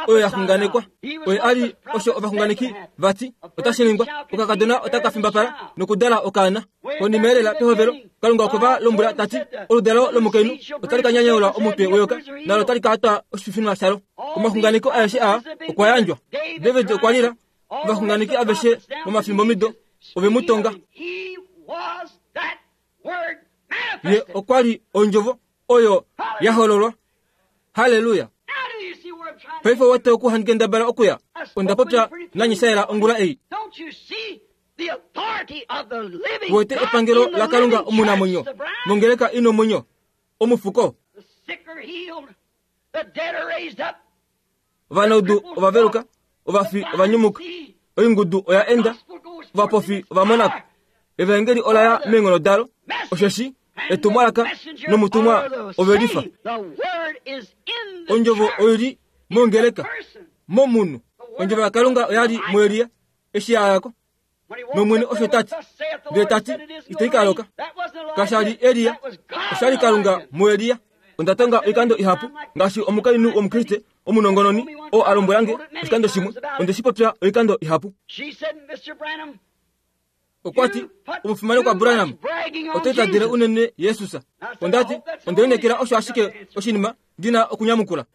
oyo ya xunganekwa. Oye a li osho ovaxunganeki va ti otashi ningwa. Okakadona otaka fimbapala nokudala okaana. Konima elela pehovelo, Kalunga okwe va lombwela ta ti, Oludalo lomukainhu otali ka nyanyaula omutwe weyoka, nalo otali ka twa oshififinwa shalo. Omaxunganeko aeshe aa okwa yandjwa. David okwa lila, ovaxunganeki aveshe momafimbomido ove mu tonga. Ye okwa li ondjovo oyo ya hololwa. Halleluya! Paife wete oku handi kendabala okuya. Onda popya nanyishaela ongula ei. Wete epangelo laKalunga omunamwenyo mongeleka i nomwenyo, omufuko. Ovanaudu ova veluka, ovafi ova nyumuka, oingudu oya enda, ovapofi ova mona ko. Evaengeli ola ya meenghono dalo, osheshi etumwalaka nomutumwa ove lifa. Ondjovo oi li mongeleka, momunhu. Ondjovo yaKalunga oya li muElia eshi ya ya ko. NOmwene osho ta ti. Ndele ta ti, Itai ka loka. Kasha li Elia, osha li Kalunga muElia. Onda tonga oikando ihapu, ngaashi omukainhu wOmukriste omunongononi oo a lombwela nge oshikando shimwe. Onde shi popya oikando ihapu. Okwa ti, Omufimanekwa Branham, oto itadele unene Jesus. Onda ti, Onde lineekela osho ashike oshinima ndi na okunyamukula.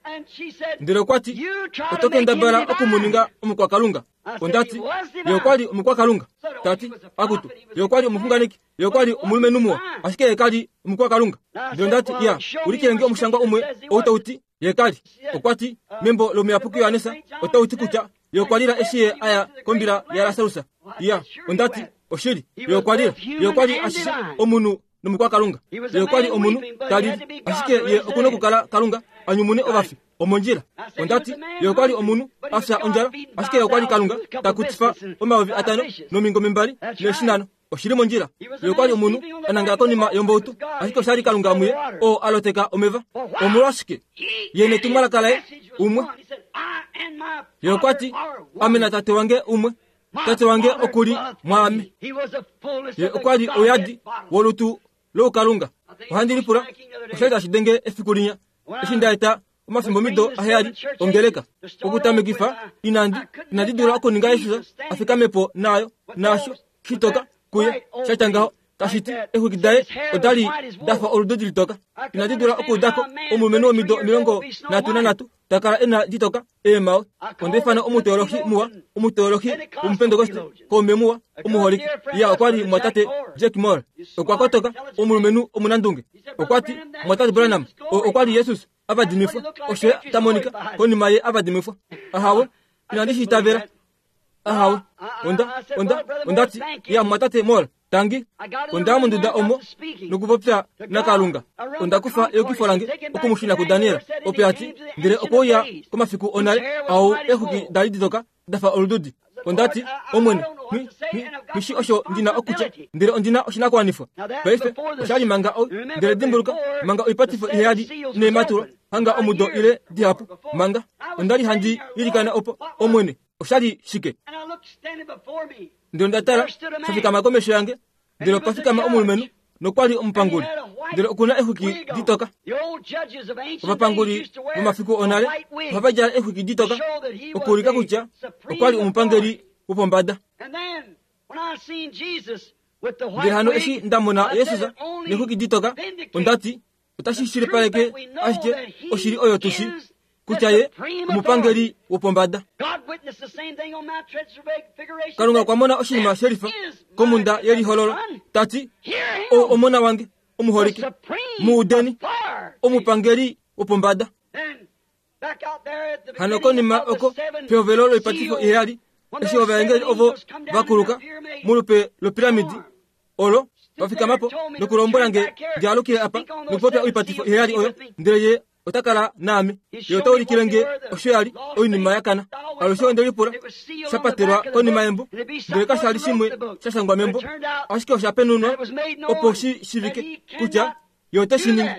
Ndele okwa ti, Oto kendabala oku mu ninga omukwakalunga. Onda ti, Ye okwa li omukwakalunga. Ta ti, Akutu, ye okwa li omuxunganeki, ye okwa li omulumenhu muwa, ashike ye ka li omukwakalunga. Ndele onda ti, Ya, ulikile nge omushangwa umwe ou tau ti ye ka li. Okwa ti, Membo lOmuyapuki Johannes otau ti kutya ye okwa lila eshi ye a ya kombila yaLasarus. Ya, onda ti, Oshili, ye okwa lila. Ye okwa li ashishe omunhu nomukwakalunga. Ye okwa li omunhu ta lili, ashike ye oku nokukala Kalunga a nyumune ovafi. Omondjila. Onda ti, Ye okwa li omunhu a fya ondjala, ashike ye okwa li Kalunga ta kutifa 5000 nomingome mbali neeshi nhano. Oshi li mondjila. Ye okwa li omunhu a nangala konima yombautu, ashike osha li Kalunga muye oo a loteka omeva. Omolwashike? Ye netumwalaka laye umwe. Ye okwa ti, Ame naTate wange umwe. Tate wange oku li mwaame. Ye okwa li ouyadi wolutu loukalunga. Ohandi lipula osha li tashi denge efiku linya eshi nda eta omafimbomido aheyali ongeleka okutamekifa inandi inandi dula okuninga Jesus a fikame po naayo naasho shitoka kuye sha tya ngaho tashi ti exwiki daye oda li da fa olududi litoka inandi dula okuuda ko omulumenhu womido 33 ta kala e na ditoka eemhawe. Onda ifana omuteolohi muwa, omuteolohi womupentekoste, kaume muwa, omuholike. Ya, okwa li mwatate Jack Moore. Okwa kotoka, omulumenhu omunandunge. Okwa ti, Mwatate Branham, oo okwa li Jesus a vadimifwa. Osho ye ta monika konima ye a vadimifwa. Ahawe, inandi shi itavela. Ahawe, onda, onda, onda ti, ya, mwatate Moore, Tangi, onda ya monduda omo nokupopya naKalunga. Onda kufa eyukifo lange oku mu shuna kuDaniel. Opo ya ti, ndele okwe uya komafiku onale au eexwiki da li ditoka da fa olududi. Onda ti, Omwene, nghi, nghi, nghi shi osho ndi na okutya, ndele ondi na oshinakuwanifwa. Paife, osha li manga o, ndele dimbuluka, manga oipatifo iheyali inai matulwa, hanga omudo ile dihapu, manga. Onda li handi ilikana opo, Omwene, osha li shike? Ndele onda tala, sha fikama komesho yange, ndele opa fikama omulumenhu, nokwa li omupanguli, ndele oku na exwiki ditoka. Ovapanguli vomafiku onale ohava djala exwiki ditoka okuulika kutya okwa li omupangeli wopombada. Ndele hano eshi nda mona Jesus nexwiki ditoka, onda ti, Otashi shilipaleke ashike oshili oyo tu shi kutya ye omupangeli wopombada. Kalunga okwa mona oshinima shelifa komhunda yelihololo, ta ti, Ou omona wange omuholike, mu udeni, omupangeli wopombada. Hano konima oko pehovelo loipatifo iheyali, eshi ovaengeli ovo va kuluka molupe lopiramidi olo va fikama po nokulombwela nge ndi alukile apa nokupopya oipatifo iheyali oyo, ndele ye ota kala naame. Ye ota ulikile nge osho ya li oinima ya kana. Alushe onde lipula sha patelwa konima yembo, ndele kasha li shimwe sha shangwa membo, ashike osha penunwa opo shi shivike kutya Ye ote shi ningi.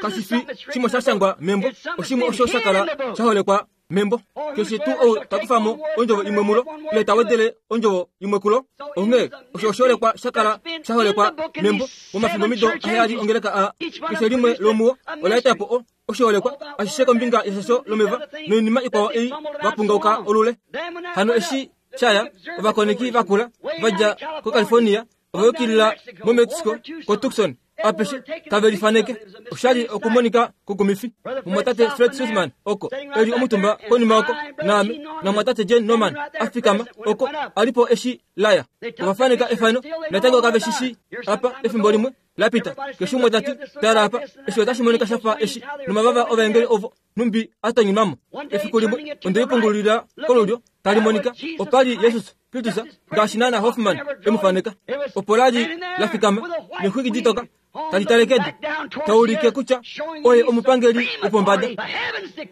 Kashi fi shimwe sha shangwa membo, oshimwe osho sha kala sha holekwa membo. Keshe tuu ou ta kufa mo ondjovo imwe mulo, ile ta wedele ondjovo imwe kulo. Onghee osho oshiholekwa sha kala sha holekwa membo momafimbomido aheyali ongeleka aa. Keshe limwe lomuo ola eta po o, oshiholekwa ashishe kombinga yeshasho lomeva noinima ikwao ei va pungauka olule. Hano eshi sha ya, ovakoneki vakula va dja koCalifornia ova yukilila moMexico, koTucson, apeshe tave lifaneke. Osha li okumonika kukumifi. Mumwatate Fred Sothmann oko e li omutumba konima oko, naame, namumwatate Jane Norman a fikama oko a li po eshi la ya. Ova faneka efano, natango kave shi shii apa efimbo limwe la pita. Keshe umwe ta ti, Tala apa, eshi otashi monika sha fa eshi, nomavava ovaengeli ovo nhumbi a tonyunwa mo. Efiku limwe onde lipungulila kolulyo, tali monika, opa li Jesus Kristus ngaashi naana Hofmann e mu faneka. Opo la li la fikama nexwiki ditoka tali tale kedu, ta ulike kutya oye omupangeli wopombada.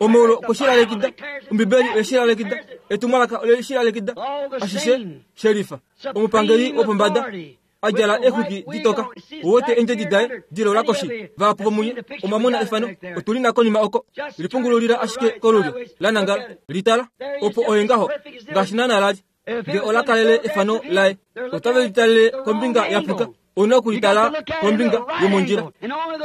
Omaulu okwe shi lalekida, Ombibeli oye shi lalekida, etumwalaka ole shi lalekida, ashishe shelifa. Omupangeli wopombada a djala exwiki ditoka, u wete eendjedi daye dilola koshi. Vahapu vomunye omwa mona efano, otu li na konima oko. Lipungululila ashike kolulyo la nangala, li tala. Opo oye ngaho, ngaashi naana la li. Nge ola kalele efano laye, otave li talele kombinga ya puka. Ou na oku li tala kombinga yomondjila.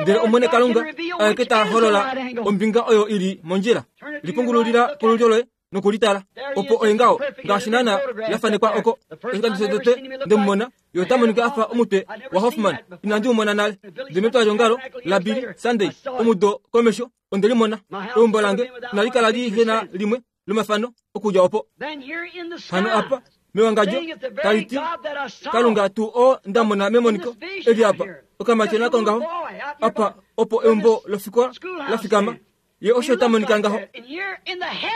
Ndele Omwene Kalunga aeke ta holola ombinga oyo i li mondjila. Lipungululila kolulyo loye. Nokulitala opo oye ngaho ngaashi naana ya fanekwa oko. Oshikando shotete nde mu mona, ye ota monika a fa omutwe waHoffman. Inandi mu mona nale. Ndele metwalyeongalo laBilly Sunday omudo komesho, onde li mona. Eumbo lange inali kala li he na limwe lomafano okudja opo. Hano apa, mewangadjo, tali ti, Kalunga tuu oo nda mona memoniko eli apa, okamatyona kongaho, apa opo eumbo lofikola la fikama, ye osho ta monika ngaho.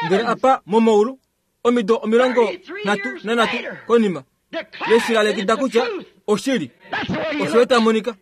Ndele apa momaulu, omido 33 konima, le shi lalekida kutya oshili, osho ye ta monika.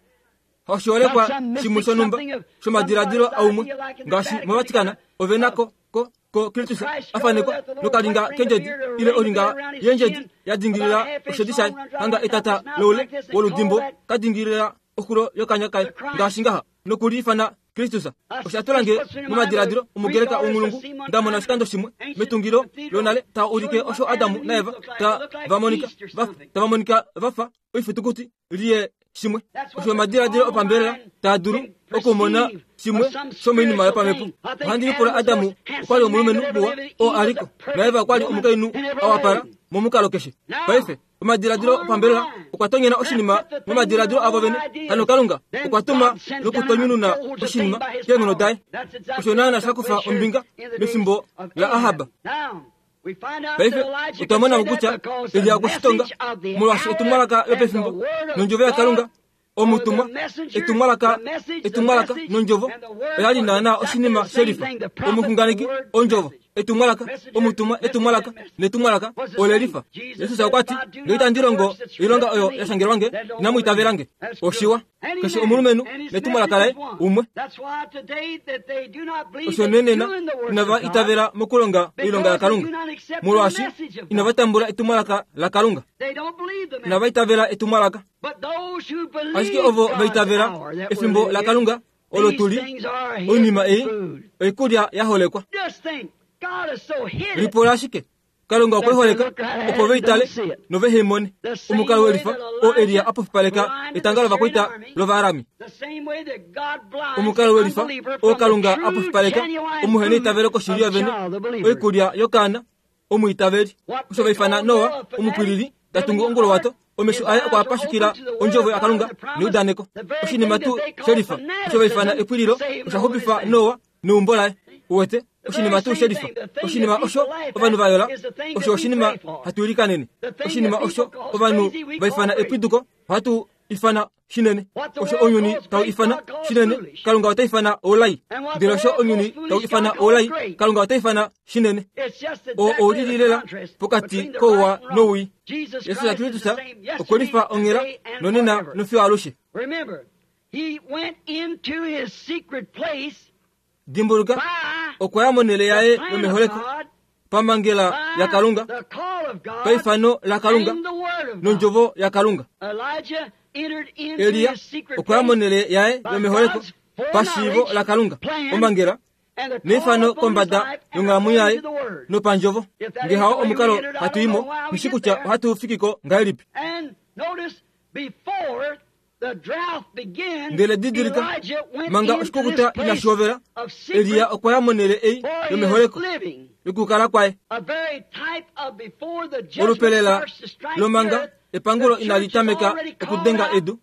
Oshiholekwa shimwe shonhumba shomadiladilo aumwe, ngaashi moVatican ove na ko, ko, ko Kristus a fanekwa nokalinga kendjedi ile olinga yendjedi ya dingilila oshedi shaye, hanga etata loule woludimbo ka dingilila oxulo yokanya kaye, ngaashi ngaha, noku li ifana Kristus. Osha tula nge momadiladilo omugreka wonghulungu nda mona oshikando shimwe metungilo lonale ta ulike osho Adamu naEva ta va monika va, tava monika va fa oifitukuti liye shimwe. Osho omadiladilo opambelela taa dulu okumona shimwe shomoinima yopamhepo. Ohandi lipula Adamu okwa li omulumenhu muwa oo a li ko, naEva okwa li omukainhu a wapala momukalo keshe. Paife, omadiladilo opambelela okwa tonyena oshinima momadiladilo avo vene. Hano Kalunga okwa tuma nokutonyununa oshinima keenghono daye. Osho naana sha kufa ombinga mefimbo laAhab. Paife otwa mona mo kutya Elia okwe shi tonga, molwaashi etumwalaka lopefimbo nondjovo yaKalunga, omutumwa, etumwalaka, etumwalaka nondjovo oya li naanaa oshinima shelifa. Omuxunganeki, ondjovo, etumwalaka, omutumwa, etumwalaka netumwalaka ole lifa. Jesus okwa ti, Nge itandi longo oilonga oyo ya shangelwa nge, inamu itavela nge. Oshiwa. Keshe omulumenhu netumwalaka laye umwe. Osho nenena inava itavela mokulonga oilonga yaKalunga, molwaashi inava tambula etumwalaka laKalunga. Inava itavela etumwalaka. Ashike ovo va itavela efimbo laKalunga olo tu li, oinima ei oikulya ya holekwa. Lipula ashike Kalunga okwe holeka opo ve itale nove he mone omukalo welifa oo Elia a pofipaleka etanga lovakwaita lOvaarami. Omukalo welifa oo Kalunga a pofipaleka omuheneitavelo koshili yovene, oikulya yokaana omwiitaveli. Osho va ifana Noa omupwilili ta tungu onguluwato, omesho aye okwa pashukila ondjovo yaKalunga neudaneko. Oshinima tuu shelifa osho va ifana epwililo osha xupifa Noa neumbo laye. Uwete? Oshinima tuu shelifa. Oshinima osho ovanhu va yola, osho oshinima hatu ilikanene. Oshinima osho ovanhu va ifana epwiduko, ohatu ifana shinene. Osho ounyuni tau ifana shinene, Kalunga ota ifana oulai. Ndele osho ounyuni tau ifana oulai, Kalunga ota ifana shinene. Oo ou lili lela pokati kouwa nowii. Jesus Kristus okwe lifa onghela nonena nofiyo alushe. Dimbuluka, okwa ya monhele yaye yomeholeko pamhangela yaKalunga, paifano laKalunga nondjovo yaKalunga. Elia okwa ya monhele yaye yomeholeko pashiivo laKalunga, omhangela neifano kombada yonghalamwenyo yaye nopandjovo. Nge hao omukalo hatu i mo, nghi shi kutya ohatu fiki ko ngahelipi. Ndele didilika, manga oshikukuta inashi hovela, Elia okwa ya monhele ei yomeholeko yokukala kwaye. Olupe lela lomanga epangulo inali tameka okudenga edu,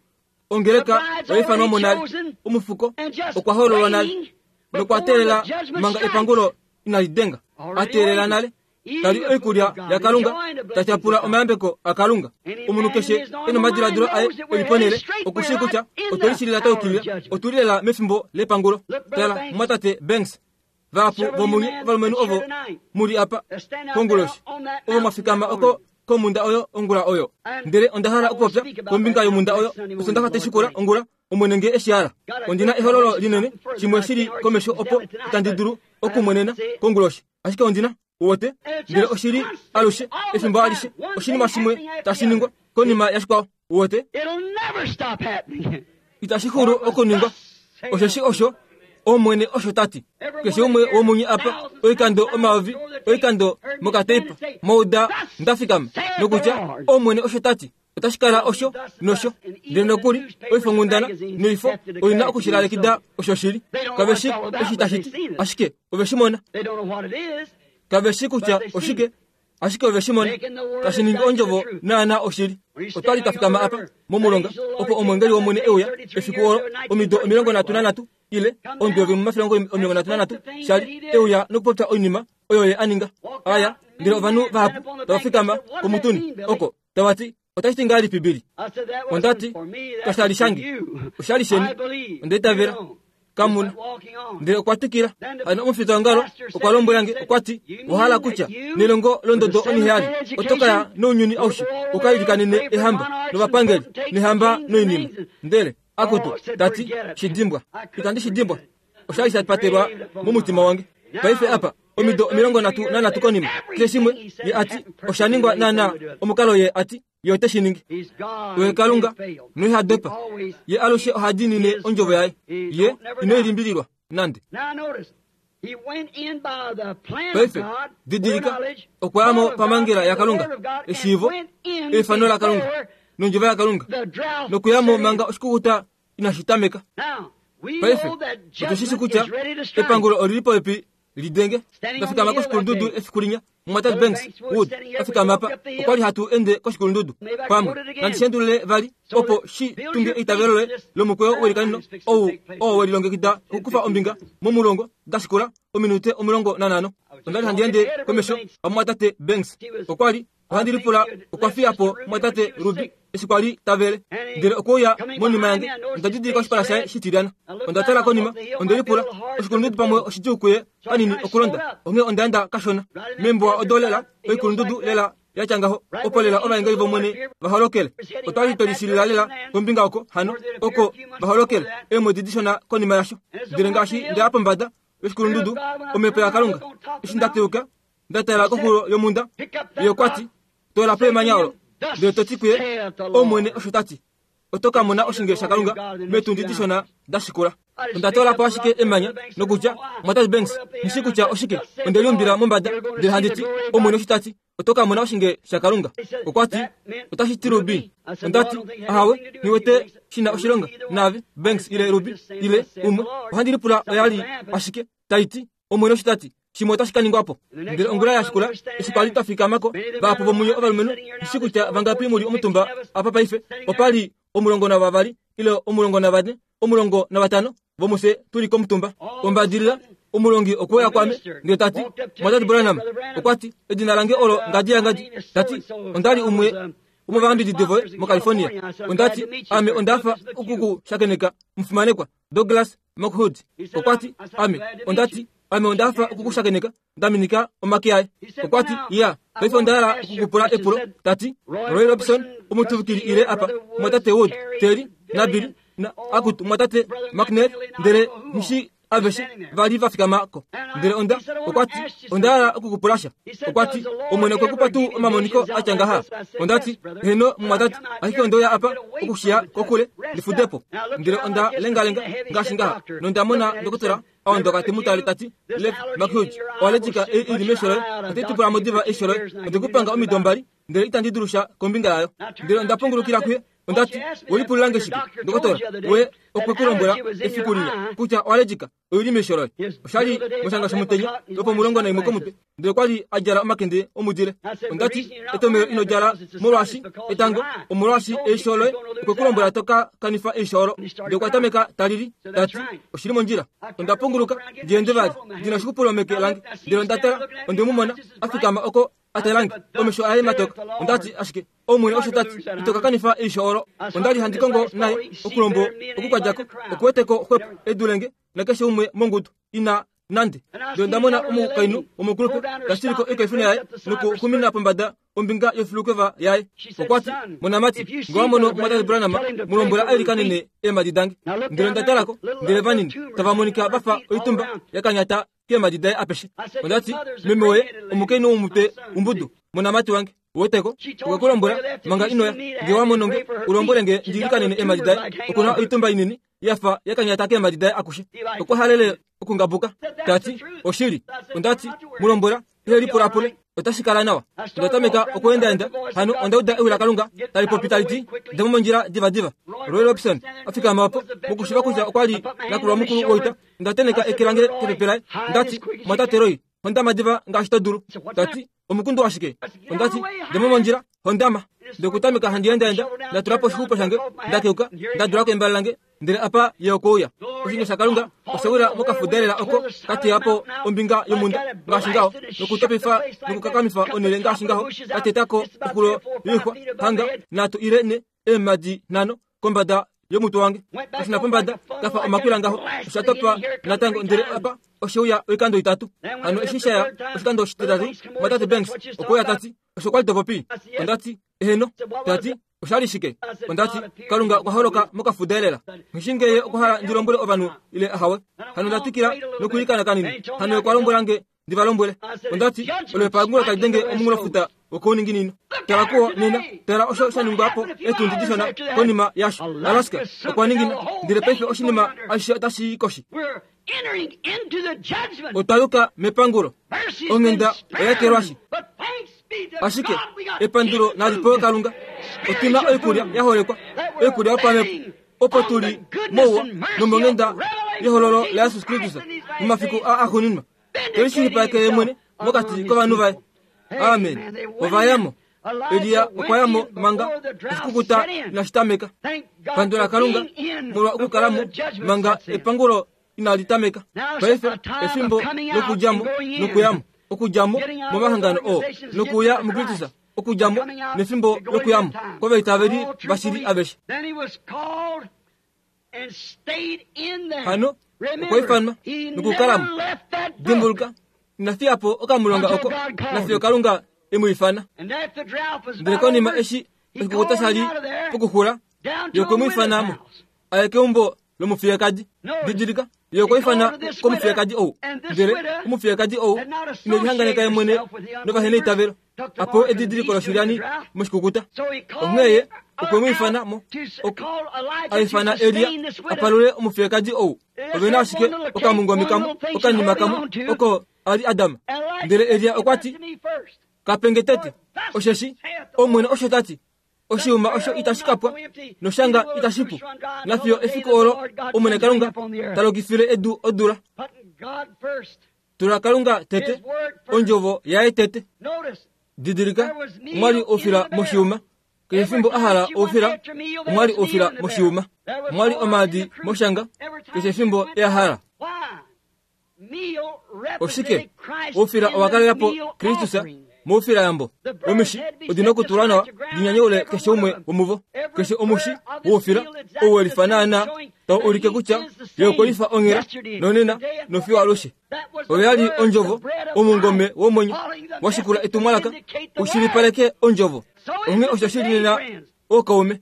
ongeleka oya ifanwa mo nale, omufuko okwa hoololwa nale, nokwa teelela manga epangulo inali denga, a teelela nale. Ta li oikulya yaKalunga, ta tyapula omayambeko aKalunga. Omunhu keshe e nomadiladilo aye e li ponhele, oku shii kutya otwe lishilila twa yukilila. Otu li lela mefimbo lepangulo. Tala, Mumwatate Banks, vahapu vomunye ovalumenhu ovo mu li apa konguloshi, ovo mwa fikama oko komhunda oyo ongula oyo. Ndele onda hala okupopya kombinga yomhunda oyo Osondaxa tai shikula ongula, Omwene nge e shi hala. Ondi na ehololo linene, shimwe shi li komesho opo itandi dulu okumwenena konguloshi. Ashike ondi na, uwete, ndele oshi li alushe, efimbo alishe, oshinima shimwe tashi ningwa konima yashikwao, uwete. Itashi xulu okuningwa, osheshi osho Omwene osho ta ti. Keshe umwe womunye apa, oikando omayovi, oikando mokateipa, mwa uda nda fikama, nokutya, Omwene osho ta ti. Otashi kala osho nosho. Ndele nokuli oifonghundana noifo oi na oku shi lalekida osho shili. Kave shi eshi tashi ti, ashike ove shi mona. Kave shi kutya oshike, ashike ove shi mona tashi ningi ondjovo naana oshili. Otwa li twa fikama apa momulonga opo omwengeli wOmwene e uya efiku olo omido 33 ile omudo womafilongo 33 sha li e uya nokupopya oinima oyo ye a ninga. Aya, ndele ovanhu vahapu tava fikama komutuni oko tava ti, Otashi ti ngahelipi Billy? Onda ti, Kasha li shange, osha li sheni. Onda itavela. Kamuna. Ndele okwa twikila. Hano omufitaongalo okwa lombwela nge, okwa ti, Owa hala kutya nelongo londodo oniheyali oto ka ya nounyuni aushe u ka ilikanene ehamba novapangeli nehamba noinima? Ndele, akutu, ta ti, shi dimbwa. Itandi shi dimbwa. Osha li sha patelwa momutima wange. Paife apa, omido 33 konima, keshe shimwe ye a ti osha ningwa naanaa omukalo ye a ti ye ote shi ningi. Oye Kalunga noiha dopa. Ye alushe oha diinine ondjovo yaye. Ye ino i limbililwa nande. Paife, didilika, okwa ya mo pamangela yaKalunga, eshiivo, eifano laKalunga, nondjovo yaKalunga, nokuya mo manga oshikukuta inashi tameka. Paife, otu shi shi kutya epangulo oli li popepi li denge. Nda fikama koshikulundudu efiku linya, Mumwatate Banks Wood a fikama apa. Okwa li hatu ende koshikulundudu pamwe. Nandi shi endulule vali, opo shi tunge eitavelo loye lomukweyo welikanino ou oo we lilongekida okukufa ombinga momulongo da shikula ominute 15. Onda li handi ende komesho amumwatate Banks. Okwa li Ohandi lipula okwa fiya po mwatate Ruby eshi kwa li ta vele. Ndele okwe uya monima yange, onda didilika oshipala shaye shitilyana. Onda tala konima, onde lipula, oshikulundudu pamwe oshidjuu kuye kanini okulonda, onghee onda enda kashona. Meembuwa odo lela, oikulundudu lela ya tya ngaho, opo lela ovaengeli vOmwene va holokele. Otwa li twe lishilila lela kombinga oko, hano, oko va holokele, eemwedi dishona konima yasho. Ndele ngaashi nda ya pombada yoshikulundudu, Omhepo yaKalunga, eshi nda teuka, Nda tala koxulo yomhunda, ye okwa ti, Toola po emanya olo, ndele to ti kuye, Omwene osho ta ti, Oto ka mona oshinge shaKalunga meetundi dishona da shikula. Onda toola po ashike emanya nokutya, Mwatate Banks, nghi shii kutya oshike, onde li umbila mombada, ndele handi ti, Omwene osho ta ti, Oto ka mona oshinge shaKalunga. Okwa ti, Otashi ti Ruby. Onda ti, Ahawe, nghi wete shi na oshilonga naave, Banks ile Ruby, ile umwe. Ohandi lipula oya li ashike tai ti, Omwene osho ta ti, shimwe otashi ka ningwa po. Ndele ongula ya shikula, eshi kwa li twa fikama ko, vahapu vomunye ovalumenhu, nghi shii kutya vangapi mu li omutumba apa paife, opa li 12 ile 14, 15 vomufye tu li komutumba. Ombadilila, omulongi okwe uya kwaame, ndele ta ti, Mwatate Branham, okwa ti, edina lange olo ngadi yangadi. Ta ti, onda li umwe womovayambididi voye moCalifornia. Onda ti, ame onda hafa oku ku shakeneka, omufimanekwa. Douglas McHugh okwa ti, Ame onda ti, ame onda hafa oku ku shakeneka, nda minika omake aye. Okwa ti, Ya, paife onda hala oku ku pula epulo. Ta ti, Roy Robson, omutuvikili ile apa, mwatate Wood, Terry, naBilly, na, akutu, mwatate McNair, ndele nghi aveshe va li va fikama ko. Ndele onda, okwa ti, onda hala oku ku pula sha. Okwa ti, Omwene okwe ku pa tuu omamoniko a tya ngaha? Onda ti, Heeno, mumwatate, ashike onde uya apa okushiya kokule ndi fude po. Ndele onda lengalenga ngaashi ngaha, nonda mona ndokotola a ondoka te mu tale ta ti, Lev McHugh, owa letika ei i li meisho loye, ote tu pula mo diva eisho loye. Onde ku panga omido mbali, ndele itandi dulu sha kombinga yayo. Ndele onda pungulukila kuye, onda ti, We lipulila nge shike, ndokotola? We okwe ku lombwela efiku linya kutya owa letika oi li meisho loye. Osha li moshanga shomutenya lwopomulongo naimwe komutwe, ndele okwa li a djala omakende omudile. Onda ti, Etomhelo ino djala molwaashi etango, omolwaashi eisho loye okwe ku lombwela to ka kanifa eisho olo. Ndele okwa tameka ta lili, ta ti, Oshi li mondjila. Onda punguluka ndi ende vali, ndi na oshikupulo meke lange, ndele onda tala, onde mu mona a fikama oko a tala nge, omesho aye matoka. Onda ti, Ashike Omwene osho ta ti, ito ka kanifa eisho olo. Onda li handi kongo naye okulombo okukwadja ko, okuwete ko xwepo e dule nge nakeshe umwe mongudu ina nande. Ndele onda mona omukainhu womukulupe ta shilike oikaifuna yaye nokuxumina pombada ombinga yofilukeva yaye. Okwa ti, Monamati, nge wa mono Mwatate Branham, mu lombwela a ilikanene eemhadi dange. Ndele onda tala ko, ndele vanini, tava monika va fa oitumba ya kanyata keemhadi daye apeshe. Onda ti, Meme woye, omukainhu womutwe umbudu, monamati wange, uweteko, okwe ku lombwela manga ino ya. Nge wa mono nge, u lombwele nge ndi ilikanene eemhadi daye. Oku na oitumba inini ya fa ya kanyata keemhadi daye akushe. Okwa halele okungabuka, ta ti, Oshili. Onda ti, Mu lombwela, ihe lipulapule, otashi kala nawa. Onda tameka okweendaenda, hano onda uda ewi laKalunga tali popi tali ti, Dja mo mondjila divadiva. Roy Robson a fikama opo, mokushiva kutya okwa li nakulwa mukulu woita. Onda tenheka eke lange kepepe laye, nda ti, Mwatate Roy. Hondama diva ngaashi to dulu. Ta ti, Omukundu washike? Onda ti, Dja mo mondjila, hondama. Ndokutameka handi endaenda, nda tula po oshixupo shange, nda keuka, nda dula ko embale lange, ndele apa ye okwe uya. Oshinge shaKalunga osha wila mokafudaelela oko ka teya po ombinga yomhunda ngaashi ngaho, nokutopifa nokukakamifa onhele ngaashi ngaho, ka teta ko oxulo yoixwa hanga nhatu ile nhe eemhadi nhano kombada yomutwe wange, kashina pombada ka fa omakwila ngaho, osha topa natango ndele apa oshe uya oikando itatu. Hano eshi sha ya oshikando oshititatu, Mwatate Banks okwe uya ta ti, Osho kwa li to popi? Onda ti, Eheno. Ta ti, Osha li shike? Onda ti, Kalunga okwa holoka mokafuda elela. Nghi ngee Ye okwa hala ndi lombwele ovanhu ile ahawe. Hano nda twikila nokwiilikana kanini. Hano Ye okwa lombwela nge ndi va lombwele. Onda ti, Olo epangulo tali denge omunghulofuta wokouninginino. Tala kuwo nena. Tala osho sha ningwa po eetundi dishona konima yasho. Alaska okwa ningina, ndele paife oshinima ashishe otashi i koshi. Otwa yuka mepangulo. Onghenda oya ekelwashi. Ashike epandulo nali pewe Kalunga, otu na oikulya ya holekwa, oikulya yopamhepo, opo tu li mouwa nomonghenda yehololo laJesus Kristus momafiku aa axuuninwa, te lishilipaleke ye mwene mokati kovanhu vaye. Amen. Ova ya mo. Elia okwa ya mo manga oshikukuta inashi tameka. Pandula Kalunga molwa okukala mo manga epangulo inali tameka. Paife efimbo lokudja mo nokuya mo, okudja mo momahangano oo nokuuya muKristus, okudja mo nefimbo lokuya mo kovaitaveli vashili aveshe. Hano okwa ifanwa nokukala mo. Dimbuluka, ina fiya po okamulonga oko nafiyo Kalunga e mu ifana. Ndele konima eshi oshikukuta sha li pokuxula, ye okwe mu ifana mo a ye keumbo lomufiyekadi. Didilika, ye okwa ifana komufiyekadi ou, ndele omufiyekadi ou ine lihanganeka ye mwene novaheneitavelo, a pewe edidiliko loshilyani moshikukuta. Onghee ye okwe mu ifana mo, a ifana Elia a palule omufiyekadi ou. Ove na ashike okamungome kamwe, okanima kamwe oko a li Adam. Ndele Elia okwa ti, Ka pe nge tete, osheshi Omwene osho ta ti, Oshiuma osho itashi ka pwa, noshanga itashi pu, nafiyo efiku olo Omwene Kalunga ta lokifile edu odula. Tula Kalunga tete, ondjovo yaye tete. Didilika, omwa li oufila moshiuma. Keshe efimbo a hala oufila, omwa li oufila moshiuma. Omwa li omaadi moshanga, keshe efimbo e a hala. Oshike? Oufila owa kalela po Kristus moufilayambo. Omishi odi na okutulwa nawa di nyanyaule keshe umwe womuvo. Keshe omushi woufila ou we lifa naanaa tau ulike kutya ye okwe lifa onghela nonena nofiyo alushe. Oyo ya li ondjovo, omungome womwenyo wa shikula etumwalaka u shilipaleke ondjovo. Onghee osho shi li nena ookaume.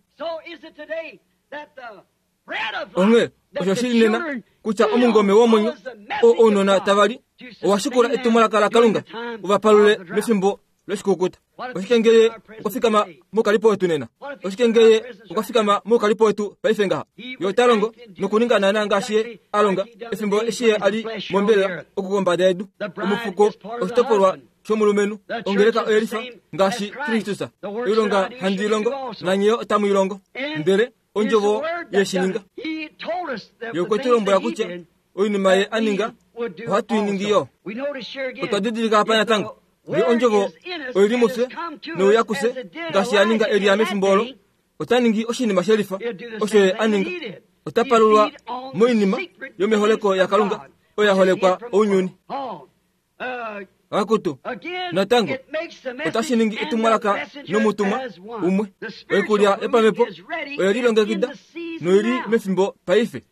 Onghee osho shi li nena kutya omungome womwenyo oo ounona tava li owa shikula etumwalaka laKalunga u va palule mefimbo loshikukuta. Oshike ngee ye okwa fikama moukalipo wetu nena? Oshike ngee ye okwa fikama moukalipo wetu paife ngaha? Ye ota longo nokuninga naanaa ngaashi ye a longa efimbo eshi ye a li mombelela oku kombada yedu. Omufuko oshitopolwa shomulumenhu. Ongeleka oye lifa ngaashi Kristus. Oilonga handi i longo, nanye yo otamu i longo. Ndele ondjovo ye shi ninga. Ye okwe tu lombwela kutya oinima ye a ninga ohatu i ningi yo. Otwa didilika apa natango nge ondjovo oi li mufye nouya kufye ngaashi ya ninga Elia mefimbo olo, ota ningi oshinima she lifa osho ye a ninga. Ota palulwa moinima yomeholeko yaKalunga oyo ya holekwa ounyuni. Akutu, natango otashi ningi etumwalaka nomutumwa umwe. Oikulya yopamhepo oye lilongekida noi li mefimbo paife.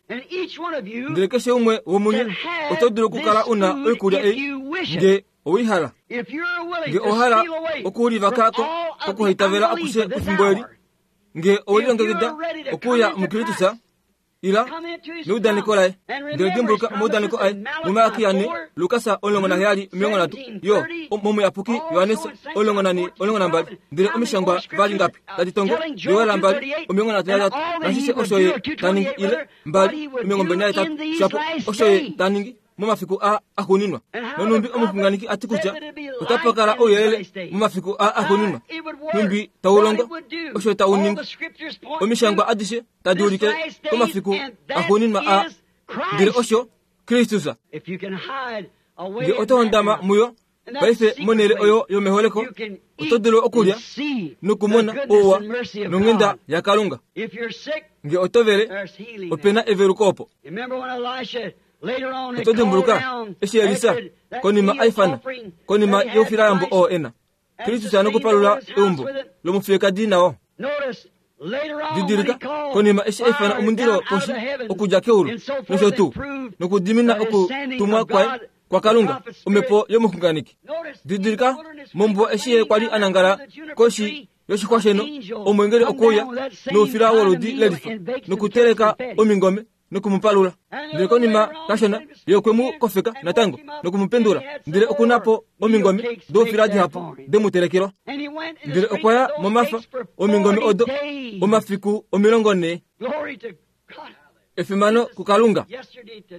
Ndele keshe umwe womunye oto dulu okukala u na oikulya ei nge owei hala. Nge owa hala okulivaka ko kokuhaitavela akushe kwefimbo eli, nge owe lilongekida okuuya muKristus, Ila neudaneko laye, ndele dimbuluka omaudaneko aye muMalakia 4, Lukas 17, 30, yo momuyapuki Johannes 14, 12. Ndele omishangwa vali ngapi tadi tongo Joel 2, 33, nashishe osho ye ta ningi ile 2, 28, shapo osho ye ta ningi momafiku a axuuninwa. Nonhumbi omuxunganeki a ti kutya otapa kala ouyelele momafiku a axuuninwa, nhumbi tau longo osho tau ningi. Omishangwa adishe tadi ulike komafiku axuuninwa a, ndele osho Kristus. Nge oto hondama muyo paife monhele oyo yomeholeko, oto dulu okulya nokumona ouwa nonghenda yaKalunga. Nge oto vele, ope na eveluko opo. Oto dimbuluka eshi Elisa konima a ifana konima youfilayambo oo e na Kristus nokupalula eumbo lomufiyekadi nao? Didilika, konima eshi a ifana omundilo poshi okudja keulu nosho tuu, nokudimina okutumwa kwaye kwaKalunga, omhepo yomuxunganeki. Didilika, mombuwa eshi ye kwa li a nangala koshi yoshixwa sheno, omweengeli okwe uya noufila woludi lelifa nokuteleka omingome noku mu palula. Ndele konima kashona ye okwe mu kofeka natango noku mu pendula, ndele oku na po omingome doufila dihapu de mu telekelwa. Ndele okwa ya momafa omingome odo omafiku 40. Efimano kuKalunga!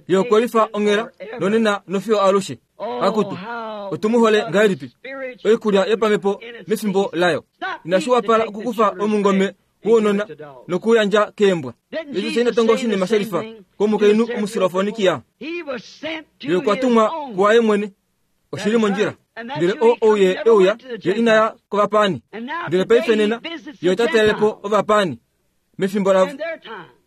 Ye okwe lifa onghela nonena nofiyo alushe. Akutu, otu mu hole ngahelipi! Oikulya yopamhepo mefimbo layo. Inashi wapala okukufa omungome wounona nokuyandja keembwa. Jesus ina tonga oshinima sha lifa komukainhu Omusilofonikia. Ye okwa tumwa kuwaye mwene. Oshi li mondjila. Ndele o ou ye e uya, ye ina ya kovapaani. Ndele paife nena, ye ota talele po ovapaani mefimbo lavo.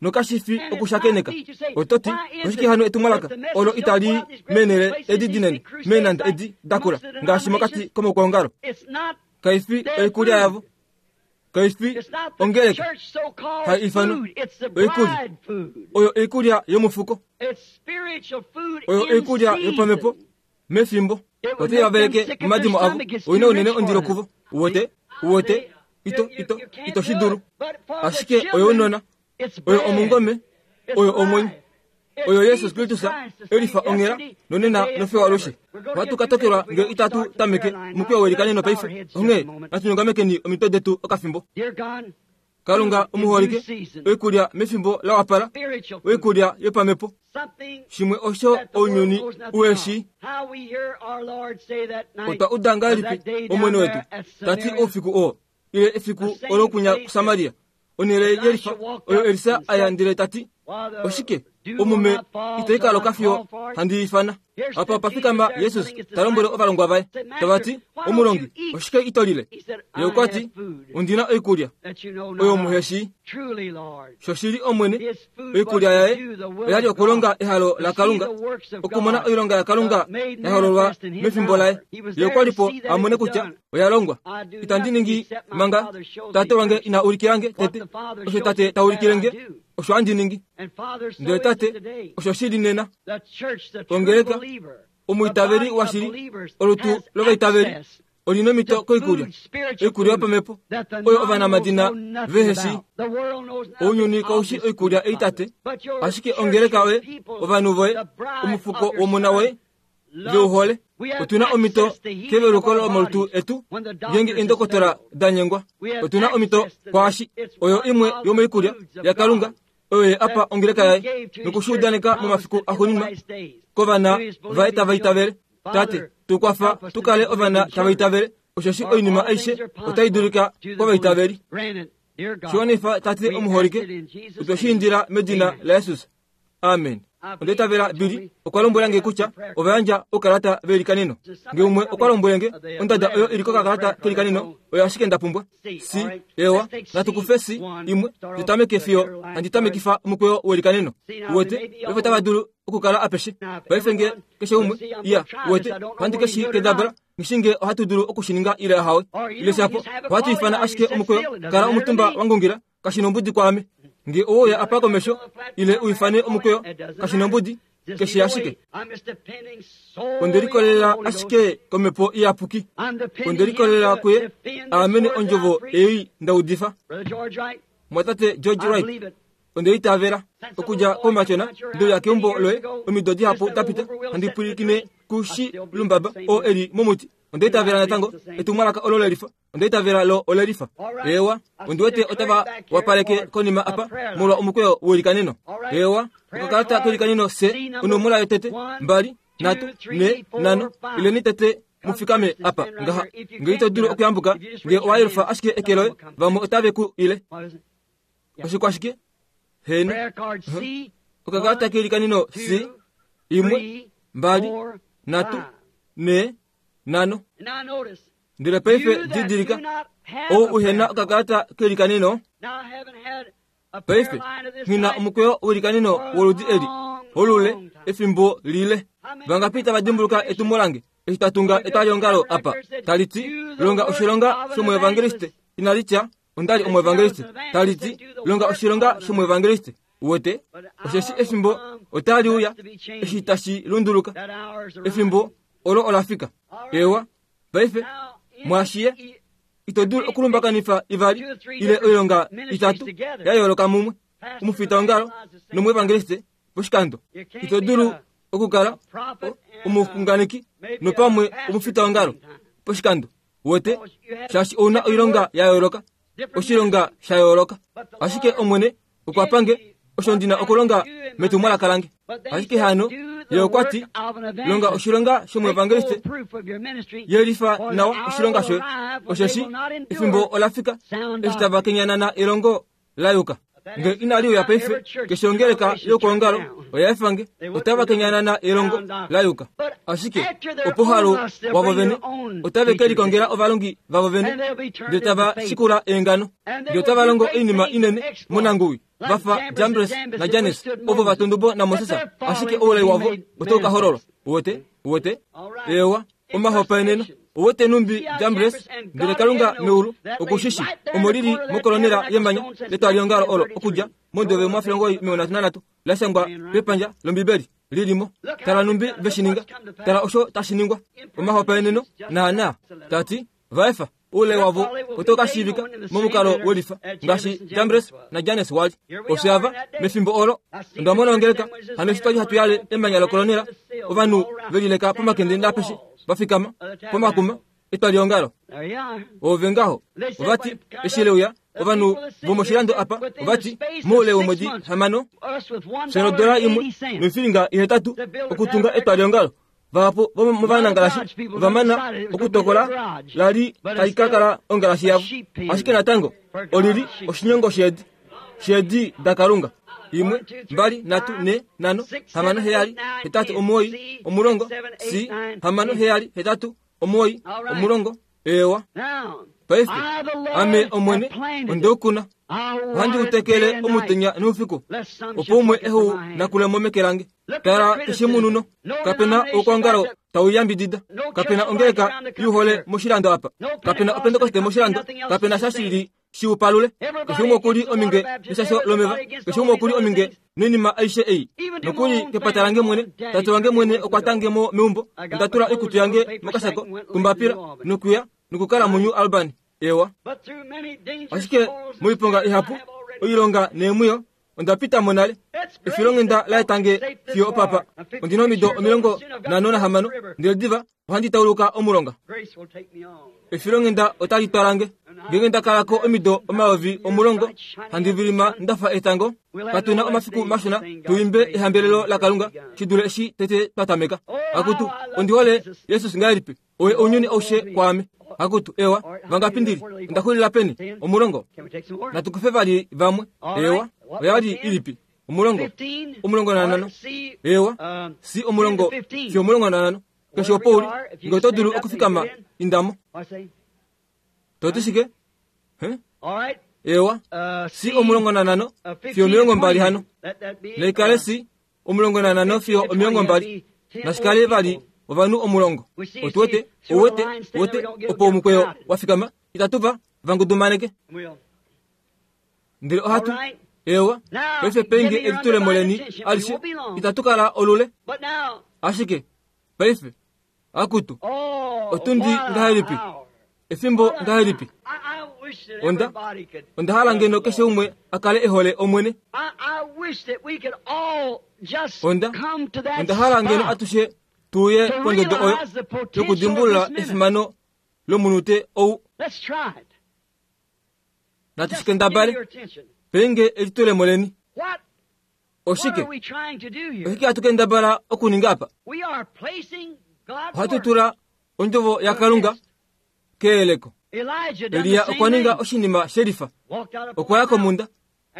Nokashi fi okushakeneka. Oto ti, oshike hano etumwalaka olo itali meenhele edi dinene, meenhanda edi dakula, ngaashi mokati komaukwaongalo? Kai fi oikulya yavo. Kai fi ongeleka hai ifanwa oikulya. Oyo oikulya yomufuko. Oyo oikulya yopamhepo mefimbo. Otai va veleke momadimo avo. Oi na unene ondilo kuvo. Uwete? Uwete? Ito, ito, ito shi dulu. Ashike oyounona. Oyo omungome. Oyo omwenyo. Oyo Jesus Kristus e lifa onghela nonena nofiyo alushe. Ohatu ka tokelwa ngee itatu tameke omukweyo welikaneno paife. Onghee natu nyongamekeni omitwe detu okafimbo. Kalunga omuholike, oikulya mefimbo la wapala, oikulya yopamhepo, shimwe osho ounyuni u shii. Otwa uda ngahelipi Omwene wetu ta ti oufiku oo, ile efiku olo kunya kuSamaria, onhele yelifa oyo Elisa a ya ndele ta ti, Oshike omume itai ka loka fiyo handi i ifana? Apa opa fikama Jesus ta lombwele ovalongwa vaye, tava ti, Omulongi, oshike ito lile? Ye okwa ti, Ondi na oikulya oyo muhe shii. Shoshili Omwene, oikulya yaye oya li okulonga ehalo laKalunga, okumona oilonga yaKalunga ya hololwa mefimbo laye. Ye okwa li po a mone kutya oya longwa. Itandi ningi manga Tate wange ina ulikila nge tete. Osho Tate ta ulikile nge, osho handi ningi. Ndele Tate, osho shi li nena. Ongeleka, omwiitaveli washili, olutu lovaitaveli, oli nomhito koikulya, oikulya yopamhepo, oyo ovanamadina vehe shii. Ounyuni kau shi oikulya ei Tate, ashike ongeleka yoye, ovanhu voye, omufuko womona woye, veuhole. Otu na omhito keveluko lomalutu etu ngeenge eendokotola da nyengwa. Otu na omhito kwaashi oyo imwe yomoikulya yaKalunga oyo ye apa ongeleka yaye noku shi udaneka momafiku axuuninwa kovana vaye tava itavele. Tate, tu kwafa tu kale ovana tava itavele, osheshi oinima aishe otai dulika kovaitaveli. Shi wanifa, Tate omuholike, otwe shi indila medina laJesus. Amen. Onda itavela Billy okwa lombwela nge kutya ova yandja oukalata velikaneno. Nge umwe okwa lombwele nge ondada oyo ili kokakalata kelikaneno oyo ashike nda pumbwa. Si, ewa, natu kufe si imwe tu tameke fiyo handi tamekifa omukweyo welikaneno. Uwete, paife otava dulu okukala apeshe. Paife nge keshe umwe, iya, uwete, ohandi ke shi kendabala, nghi nge ohatu dulu oku shi ninga ile ahawe. Ile shapo, ohatu ifana ashike omukweyo, kala omutumba wa ngungila, kashi nombudi kwaame nge owe uya apa komesho ile u ifane omukweyo, kashi nombudi, keshe ashike. Onde likolelela ashike kOmhepo Iyapuki. Onde likolelela kuye a amene ondjovo ei nda udifa. Mumwatate George Wright, onde itavela. Okudja koumatyona nde uya keumbo loye omido dihapu da pita, handi pwilikine kuShilumbaba oo e li momuti. Onda itavela natango etumwalaka olo lelifa. Onda itavela lo ole lifa. Eewa, ondi wete otava wapaleke konima apa molwa omukweyo welikaneno. Eewa, okakalata kelikaneno se onomola yotete, mbali, nhatu, ne, nhano. Ileni tete mu fikame apa ngaha. Nge ito dulu okuyambuka, nge owa yelufa ashike eke loye, vamwe otave ku ile. Oshikwashike? Heeno. Okakalata kelikaneno C, imwe, mbali, 3, 4, 5. Ndele paife didilika, ou uhena okakalata kelikaneno, paife nghina omukweyo welikaneno woludi eli, olule efimbo lile. Vangapi tava dimbuluka etumo lange eshi twa tunga etwaliongalo apa, tali ti, longa oshilonga shomuevangeliste, inali tya, onda li omuevangeliste, tali ti, longa oshilonga shomuevangeliste. Uwete, osheshi efimbo otali uya eshi tashi lunduluka, efimbo olo ola fika. Ewa, paife mwaashiye ito dulu okulumbakanifa ivali ile oilonga itatu ya yooloka mumwe, omufitaongalo nomuevangeliste poshikando. Ito dulu okukala omuxunganeki nopamwe omufitaongalo poshikando. Uwete, shaashi ouna oilonga ya yooloka, oshilonga sha yooloka. Ashike Omwene okwa pange osho ndina okulonga metumwalaka lange. Ashike hano ye okwa ti, longa oshilonga shomuevangeliste, yelifa nawa oshilonga shoye, osheshi efimbo ola fika eshi tava kenyanana elongo la yuka. Nge inali uya paife, keshe ongeleka yokuongalo oya efa nge, otava kenyanana elongo la yuka. Ashike opo halo wavo vene otave ke likongela ovalongi vavo vene, ndele tava shikula eengano, ndele otava longo oinima inene monanguwi, va fa Jambres naJanes ovo va tundubo naMoses, ashike oulai wavo otau ka hololwa. Uwete? Uwete? Eewa, omahopaeneno. Uwete numbi Jambres, ndele Kalunga meulu okushishi omo lili mokolonela yemanya letwaliongalo olo okudja mondove omafilongo 33 la shangwa pepandja lOmbibeli lilimo. Tala numbi veshininga, tala osho tashi ningwa. Omahopaeneno naana tati vaefa oulai wavo otau ka shiivika momukalo welifa ngaashi Jambres naJanes wali. Ofye ava mefimbo olo onda mona ongeleka hano eshi twali hatu yale emanya lokolonela, ovanhu velileka pomakende naapeshe va fikama pomakuma etwaliongalo. Ove ngaho ovati eshi leuya ovanhu vomoshilando apa ovati moule womwedi 6 fye nodola imwe noifilinga 8 okutunga etwaliongalo. Vahapu vomovanangalashi ovamana okutokola lali tali ka kala ongalashi yavo, ashike natango olili oshinyongo sheedi sheedi daKalunga. 1 2 3 4 5 6 7 8 9 10 C 6 7 8 9 10. Ewa, paife ame Omwene ondeukuna, ohandi utekele omutenya noufiku, opo umwe ehu nakule mo meke lange. Tala eshimununo, kapena oukwangalo tau yambidida, kapena ongeleka yuhole moshilando apa, kapena opentekoste moshilando, kapena sha shili shiupalule. Keshe umwe okuli ominge neshasho lomeva, keshe umwe okuli ominge noinima aishe ei. Nokuli kepata lange mwene, tate wange mwene okwa tange mo meumbo, onda tula oikutu yange mokashako kombapila nokuya nokukala muNew Albany. Ewa, ashike moiponga ihapu, oilonga neemwiyo onda pita mo nale. Efilonghenda la etange fiyo opapa. Ondina omido 56, ndele diva ohandi tauluka omulonga. Efilonghenda otali twalange. Ngenge nda kalako omido 10,000, handi vilima ndafa etango. Katuna omafiku mashona tuimbe ehambelelo laKalunga shi dule eshi tete twa tameka. Akutu, ondi hole Jesus ngahelipi, oye ounyuni aushe kwaame. Akutu, ewa, vangapi ndili, onda xulila peni? 10. Natu kufe vali vamwe. Ewa, oya li ilipi? 10. 15. Ewa, si 10 fiyo 15. Keshe opo uli, nge oto dulu okufikama, indamo. To ti shike? Ewa, si 15 fiyo 20 hano. Naikale si 15 fiyo 20. Nashikale vali ovanhu 10. Otuwete, ouwete, uwete, opo omukweyo wa fikama, itatu va vangudumaneke. Ndele ohatu, ewa, paife penge elitulemo leni alishe, itatu kala olule. Ashike, paife, akutu, otundi ngahelipi? Efimbo ngahelipi? Onda hala ngeno keshe umwe a kale e hole Omwene. Onda hala ngeno atushe tuye pondodo oyo yokudimbulula efimano lomunute ou. Natu shikendabale penge elitulemo leni. Oshike? Oshike hatu kendabala okuninga apa? Ohatu tula ondjovo yaKalunga keyeleko. Elia okwa ninga oshinima shelifa. Okwa ya komunda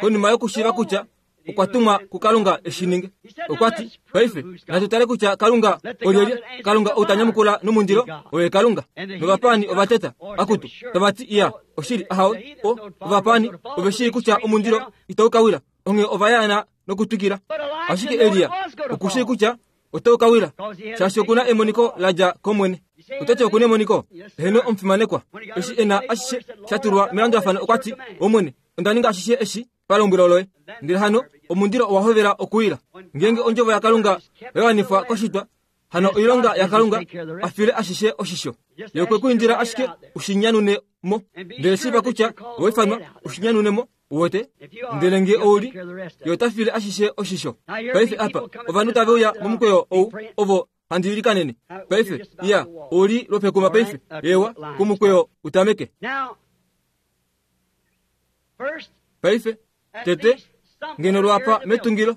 konima yokushiiva kutya Okwa tumwa kuKalunga e shi ninge. Okwa ti, Paife, natu tale kutya Kalunga olyelye. Kalunga ou ta nyamukula nomundilo, oye Kalunga. Novapaani ova teta, Akutu, tava ti, Iya, oshili, ahawe. O, ovapaani ove shii kutya omundilo itau ka wila, onghee ova yaana nokutwikila. Ashike Elia oku shii kutya otau ka wila, shaashi oku na emoniko la dja kOmwene. Oto ti oku na emoniko? Heeno, omufimanekwa. Eshi e na ashishe sha tulwa melandulafano, okwa ti, Omwene, onda ninga ashishe eshi palombwelo loye. Ndele hano omundilo owa hovela okuwila. Ngeenge ondjovo yaKalunga oya wanifwa koshitwa, hano oilonga yaKalunga a file ashishe oshisho. Ye okwe ku indila ashike u shi nyanune mo. Ndele shiiva kutya owa ifanwa u shi nyanune mo, uwete. Ndele nge ou li, Ye ota file ashishe oshisho. Paife apa, ovanhu tave uya momukweyo ou, ovo handi ilikanene. Paife, iya, ou li lwopekuma paife. Eewa, komukweyo u tameke. Paife, tete, ngeno lwapa metungilo,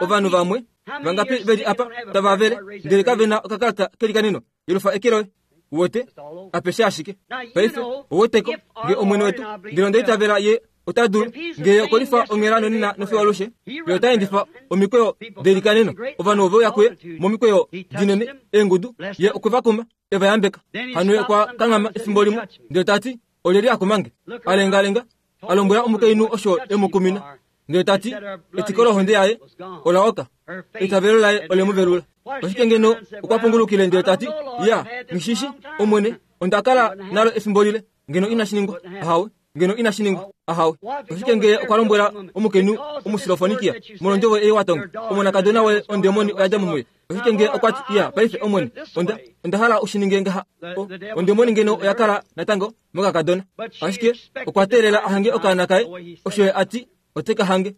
ovanhu vamwe vangapi ve li apa tava vele ndele kave na okakalata kelikaneno yelufa eke loye uwete apeshe ashike paife ouweteko nge omwene wetu ndele onda itavela ye ota dulu nge ye okolifa onghela nonena nofiyo alushe ye ota endifa omikweyo delikaneno ovanhu ove uya kuye momikweyo dinene eengudu ye okwe va kuma e va yambeka hano ye okwa kanghama efimbo limwe ndele ta ti Olyelye a kuma nge? A lengalenga, a lombwela omukainhu osho e mu kumina, ndele ta ti, Etiko lohonde yaye ola oka, eitavelo laye ole mu velula. Oshike ngeno okwa pungulukile ndele ta ti, Ya, nghi Omwene, onda kala nalo efimbo lile, ngeno inashi ningwa? Ahawe, ngeno inashi ningwa. Ahawe. Oshike ngee okwa lombwela omukainhu Omusilofonikia, molwondjovo ei wa tonga, omonakadona woye ondemoni oya dja mo muye? Oshike nge okwa ti, Ya, paife, Omwene, onda, onda hala u shi ninge ngaha. O, ondemoni ngeno oya kala natango mokakadona. Ashike okwa teelela a hange okaana kaye, osho ye a ti ote ka hange.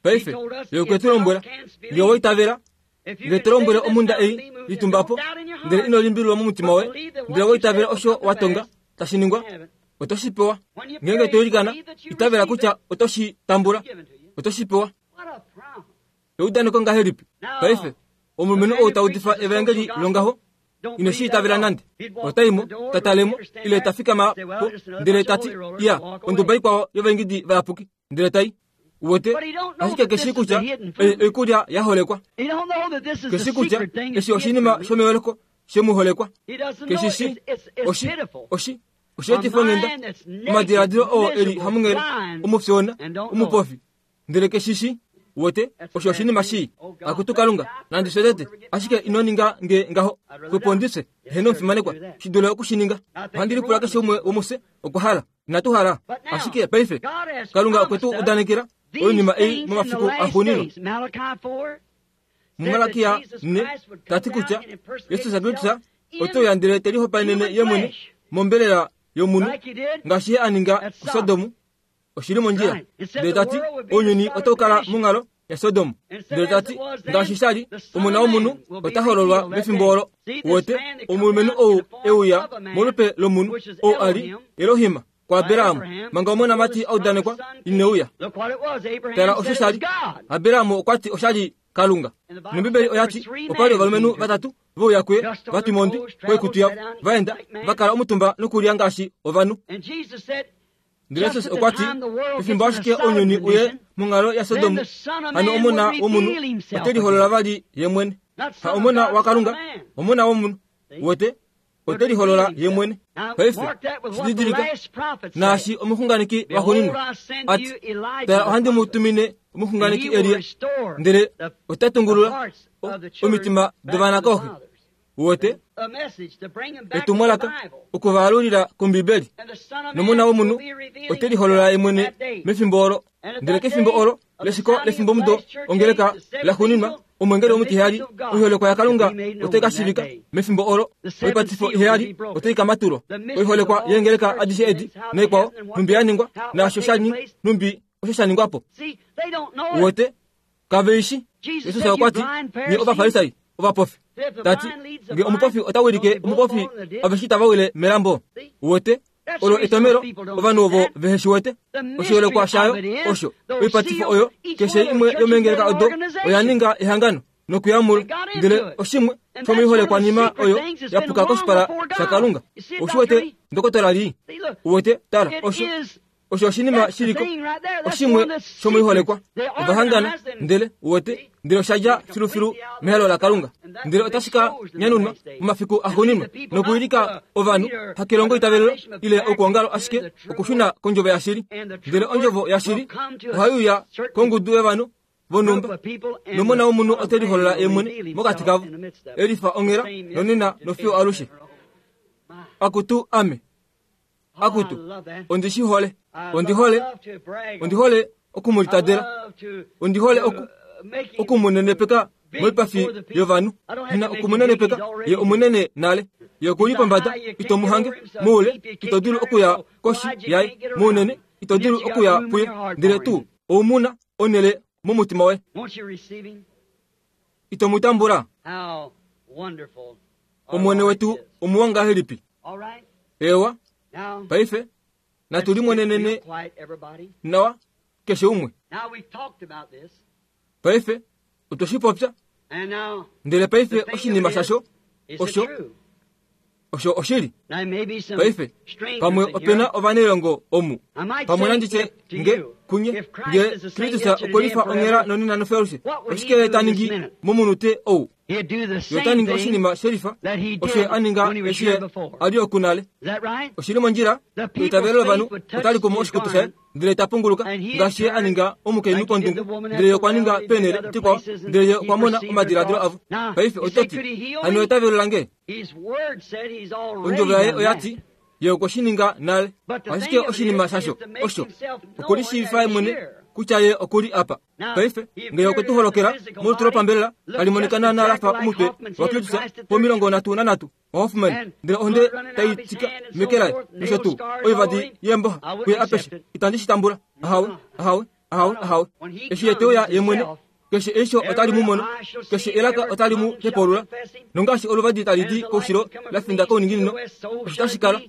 Paife, ye okwe tu lombwela, Nge owa itavela, nge to lombwele omhunda ei, litumba po, ndele ino limbililwa momutima woye, ndele owa itavela osho wa tonga tashi ningwa, oto shi pewa. Ngeenge to ilikana, itavela kutya oto shi tambula, oto shi pewa. Eudaneko ngahelipi? Paife, omulumenhu ou ta udifa evaengeli longaho, ine shi itavela nande. Ota i mo, ta tale mo, ile ta fikama po, ndele ta ti, Iya, onduba ikwao yovaingidi vayapuki, ndele ta i. Uwete, ashike ke shii kutya ei oikulya ya holekwa. Ke shii kutya eshi oshinima shomeholeko she mu holekwa. Ke shi shii, oshi, oshi, osheetifo-nghenda, omadiladilo oo e li hamunghele, omufyoona, omupofi, Ndele ke shi shi wete osho oshinima shii. Akutu Kalunga, nandi fye tete, ashike ino ninga nge ngaho. Xwepo ndi fye, heeno omufimanekwa, shi dule oku shi ninga. Ohandi lipula keshe umwe womufye okwa hala. Inatu hala. Ashike paife, Kalunga okwe tu udanekela oinima ei momafiku axuuninwa. MuMalakia 4, ta ti kutya Jesus Kristus ote uya ndele te lihopaenene ye mwene mombelela yomunhu, ngaashi ye a ninga kuSodom oshi li mondjila. Ndele ta ti, Ounyuni otau kala monghalo yaSodom. Ndele ta ti, Ngaashi sha li, Omona womunhu ota hololwa mefimbo olo. Uwete, omulumenhu ou e uya molupe lomunhu, ou a li Elohim kuAbraham, manga omonamati a udanekwa ine uya. Tala osho sha li. Abraham okwa ti osha li Kalunga. Nombibeli oya ti, opa li ovalumenhu vatatu ve uya kuye, va twima ondwi koikutu yavo, va enda, va kala omutumba nokulya ngaashi ovanhu. Ndele Jesus okwa ti, Pefimbo ashike ounyuni uye monghalo yaSodom, hano Omona wOmunhu ote liholola vali ye mwene. Ha Omona waKalunga, Omona wOmunhu. Uwete? Ote liholola ye mwene. Paife, shi didilika, naashi omuxunganeki waxuuninwa a ti, Tala, ohandi mu tumine omuxunganeki Elia, ndele ota tungulula omitima dovana kooxe. Uwete? Etumwalaka oku va alulila kOmbibeli. Nomona womunhu ote liholola ye mwene mefimbo olo. Ndele kefimbo olo leshiko lefimbomudo ongeleka laxuuninwa, omwengeli omutiheyali, oiholekwa yaKalunga otai ka shiivika mefimbo olo. Oipatifo iheyali otai ka matulwa. Oiholekwa yeengeleka adishe edi naikwao, nhumbi ya ningwa, naasho sha nhumbi osho sha ningwa po. Uwete? Kave i shi. Jesus okwa ti, Nye Ovafarisai ovapofi. Ta ti, Nge omupofi ota wilike omupofi, aveshe itava wile melambo. Uwete? Olo etomelo ovanhu ovo vehe shi wete. Oshiholekwa shayo osho oipatifo oyo keshe imwe yomeengeleka odo oya ninga ehangano nokuya mulo, ndele oshimwe shomoiholekwanima oyo ya puka koshipala shaKalunga. Ou shi wete, ndokotola lii? Uwete? Tala, osho. Osho oshinima shiliko oshimwe shomoiholekwa. Ova hangana, ndele, uwete, ndele osha dja filufilu mehalo laKalunga. Ndele otashi ka nyanunwa momafiku axuuninwa nokuwilika ovanhu, hakelongo itavelelo ile okuongalo, ashike okushuna kOndjovo yashili. Ndele Ondjovo yashili ohai uya kongudu yovanhu vonhumba, nOmona wOmunhu ote liholola Ye mwene mokati kavo, e lifa onghela nonena nofiyo alushe. Akutu, ame! Akutu, ondi shi hole. Ondi hole, ondi hole oku mu litadela. Ondi hole oku, oku mu nenepeka moipafi yovanhu. Nghi na oku mu nenepeka, ye omunene nale. Ye oku li pombada, ito mu hange. Moule, ito dulu okuya koshi yaye. Mounene, ito dulu okuya puye. Ndele tuu, ou mu na onhele momutima woye. Ito mu tambula? Omwene wetu omuwa ngahelipi? Eewa, paife natu limonenene nawa keshe umwe. Paife otwe shi popya, ndele paife oshinima shasho osho osho oshili. Paife pamwe ope na ovanailongo omu, pamwe nandi tye nge kunye nge Kristus okwe lifa onghela nonena nofiyo oshike ye ta ningi momunute ou? Ye ota ningi oshinima shelifa osho ye a ninga eshi ye a li oku nale. Oshi li mondjila, eitavelo lovanhu otali kumu oshikutu shaye ndele ta punguluka ngaashi ye a ninga omukainhu pondungu, ndele ye okwa ninga peenhele dikwao, ndele ye okwa mona omadiladilo avo. Paife oto ti, Hano eitavelo lange? Ondjovo yaye oya ti, Ye okwe shi ninga nale. Ashike oshinima shasho osho okulishiivifa ye mwene kutya ye oku li apa. Paife, ngee okwe tu holokela molutu lopambelela, tali monika naanaa la fa omutwe waKristus po33 waHoffman, ndele ohonde tai tika meke laye nosho tuu oivadi yeemboxa kuye apeshe, itandi shi tambula. Ahawe, ahawe, ahawe, ahawe. Eshi ye te uya ye mwene, keshe eisho otali mu mono, keshe elaka otali mu hepaulula, nongaashi oluvadi tali di koushilo la finda kouninginino, osho tashi kala.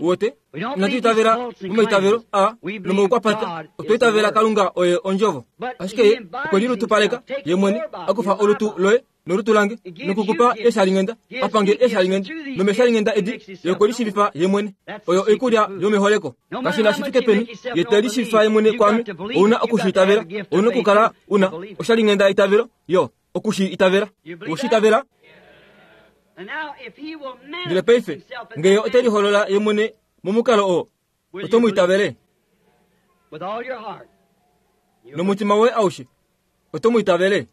Wote, inatu itavela momaitavelo a nomoukwapata, otwa itavela Kalunga oye Ondjovo. Ashike ye okwe lilutupaleka ye mwene, a kufa olutu loye nolutu lange, nokukupa eeshalinghenda, a pange eeshalinghenda, nomeeshalinghenda edi ye okwe lishiivifa ye mwene. Oyo oikulya yomeholeko. Kashi na shi fike peni ye te lishiivifa ye mwene kwaame, ou na oku shi itavela. Ou na okukala u na oshalinghenda yeitavelo, yo, oku shi itavela. Owe shi itavela? Ndele paife, nge ye ote liholola ye mwene momukalo oo, oto mu itavele? Nomutima woye aushe, oto mu itavele?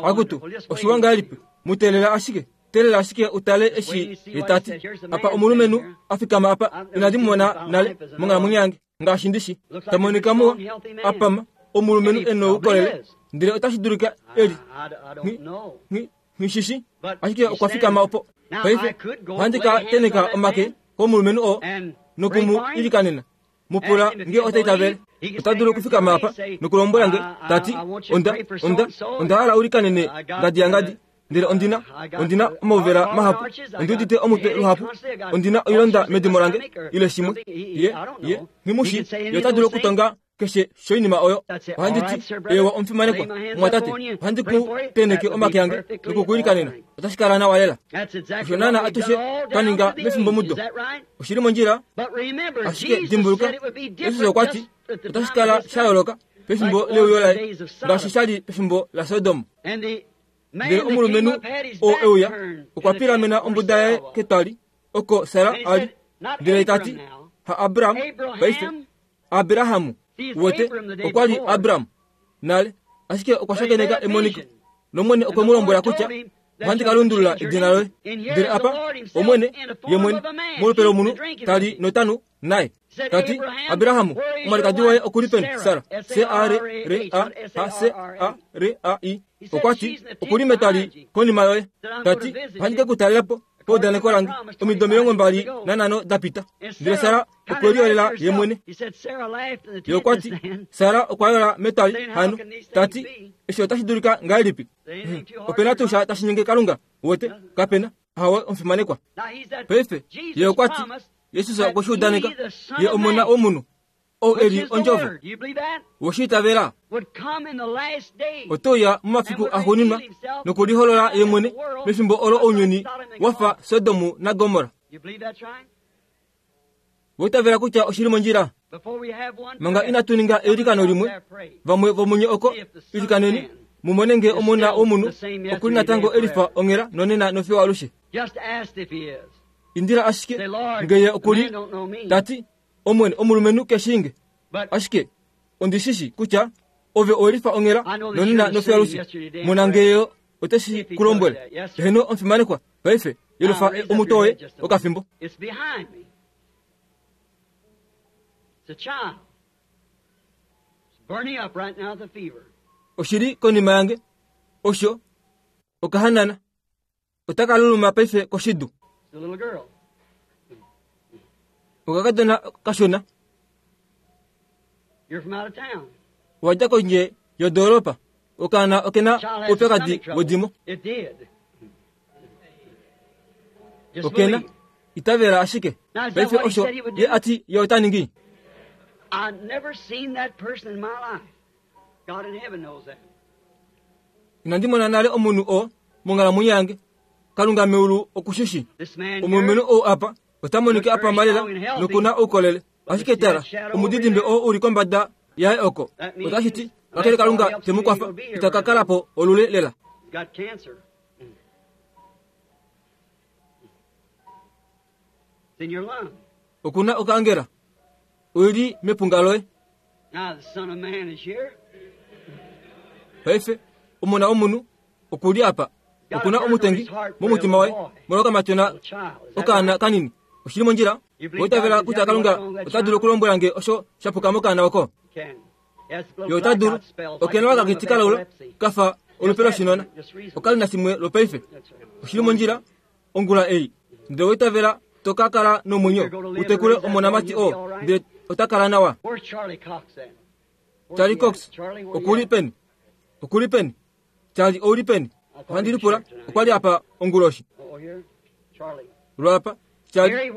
Akutu, oshiwa ngahelipi! Mu teelela ashike, teelela ashike u tale eshi ye ta ti. Apa omulumenhu a fikama apa, inandi mu mona nale monghalamwenyo yange, ngaashi ndi shi. Ta monika muwa, a pama, omulumenhu e noukolele, ndele otashi dulika e li. Nghi, nghi, nghi shi shi, ashike okwa fikama opo. Paife, ohandi ka tenheka omake komulumenhu oo noku mu ilikanena. Mu pula nge ota itavele. Ota dulu okufikama apa nokulombwela nge, ta ti, Onda, onda, onda hala u likanene ngadi yangadi, ndele ondi na, ondi na omauvela mahapu, ondi udite omutwe luhapu, ondi na oilonda medimo lange, ile shimwe. Ye, ye, nghi mu shii. Ye ota dulu okutonga keshe shoinima oyo. Ohandi ti, Eewa, omufimanekwa, mumwatate, ohandi ku tenheke omake ange noku ku ilikanena. Otashi kala nawa lela. Osho naana atushe twa ninga mefimbomudo. Oshi li mondjila, ashike dimbuluka, Jesus okwa ti otashi kala sha yooloka pefimbo leuyo laye ngaashi sha li pefimbo laSodom. Ndele omulumenhu oo e uya okwa pilamena ombuda yaye ketwali oko Sara a li, ndele ta ti, Ha Abram, paife, Abrahamu, wete, okwa li Abram nale, ashike okwa shakeneka emoniko, nOmwene okwe mu lombwela kutya ohandi ka lundulula edina loye. Ndele apa Omwene, ye mwene, molupe lomunhu, ta li notanu naye. Ta ti, Abrahamu, omwalikadi woye oku li peni, Sara? S-A-R-R-A-H-S-A-R-A-I. Okwa ti, Oku li metwali konima yoye. Ta ti, Ohandi ke ku talela po paudaneko lange, omido 25 da pita. Ndele Sara okwe liyolela ye mwene. Ye okwa ti, Sara okwa yola metwali hano. Ta ti, Eshi otashi dulika ngahelipi? Hmm. Ope na tuu sha tashi nyenge Kalunga? Uwete? Kape na. Ahawe, omufimanekwa. Paife, ye okwa ti, Jesus okwe shi udaneka, Ye Omona womunhu, ou e li Ondjovo. We shi itavela? Ote uya momafiku axuuninwa nokuliholola ye mwene mefimbo olo ounyuni wa fa Sodom naGomorra. We itavela kutya oshi li mondjila? Manga inatu ninga eilikano limwe, vamwe vomunye oko, ilikaneni, mu mone nge Omona wOmunhu oku li natango e lifa onghela nonena nofiyo alushe. Indila ashike nge Ye oku li, ta ti, Omwene, omulumenhu ke shii nge. Ashike ondi shi shii kutya Ove owe lifa onghela nonena nofiyo alushe. Mona nge Ye ote shi ku lombwele. Heeno, omufimanekwa, paife, yelufa omutwe woye okafimbo. Oshi li konima yange. Osho okahanana. Otaka luluma paife koshidu. Okakadona kashona. Owa dja kondje yodoolopa. Okaana oke na oupyakadi wedimo. Oke na. Itavela ashike. Paife osho ye a ti ye ota ningi. Inandi mona nale omunhu oo monghalamwenyo yange. Kalunga meulu oku shi shii. Omulumenhu ou apa ota monika a pama lela noku na oukolele. Ashike tala, omudidimbe oo u li kombada yaye oko, otashi ti, kakele Kalunga te mu kwafa, ita ka kala po olule lela. Oku na okaangela. Oi li mepunga loye. Paife, Omona womunhu oku li apa. Oku na omutengi momutima waye molwokamatyona okaana kanini. Oshi li mondjila? Owa itavela kutya Kalunga ota dulu okulombwela nge osho sha puka mokaana oko? Ye ota dulu. Oke na okakiti kalaula ka fa olupe loshinona. Oka li nashimwe lwopaife. Oshi li mondjila? Ongula ei, ndele owa itavela to ka kala nomwenyo u tekule omonamati oo, ndele ota kala nawa. Charlie Cox, oku li peni? Oku li peni? Charlie, ou li peni? Ohandi lipula, okwa li apa onguloshi. Lwapa, Charlie,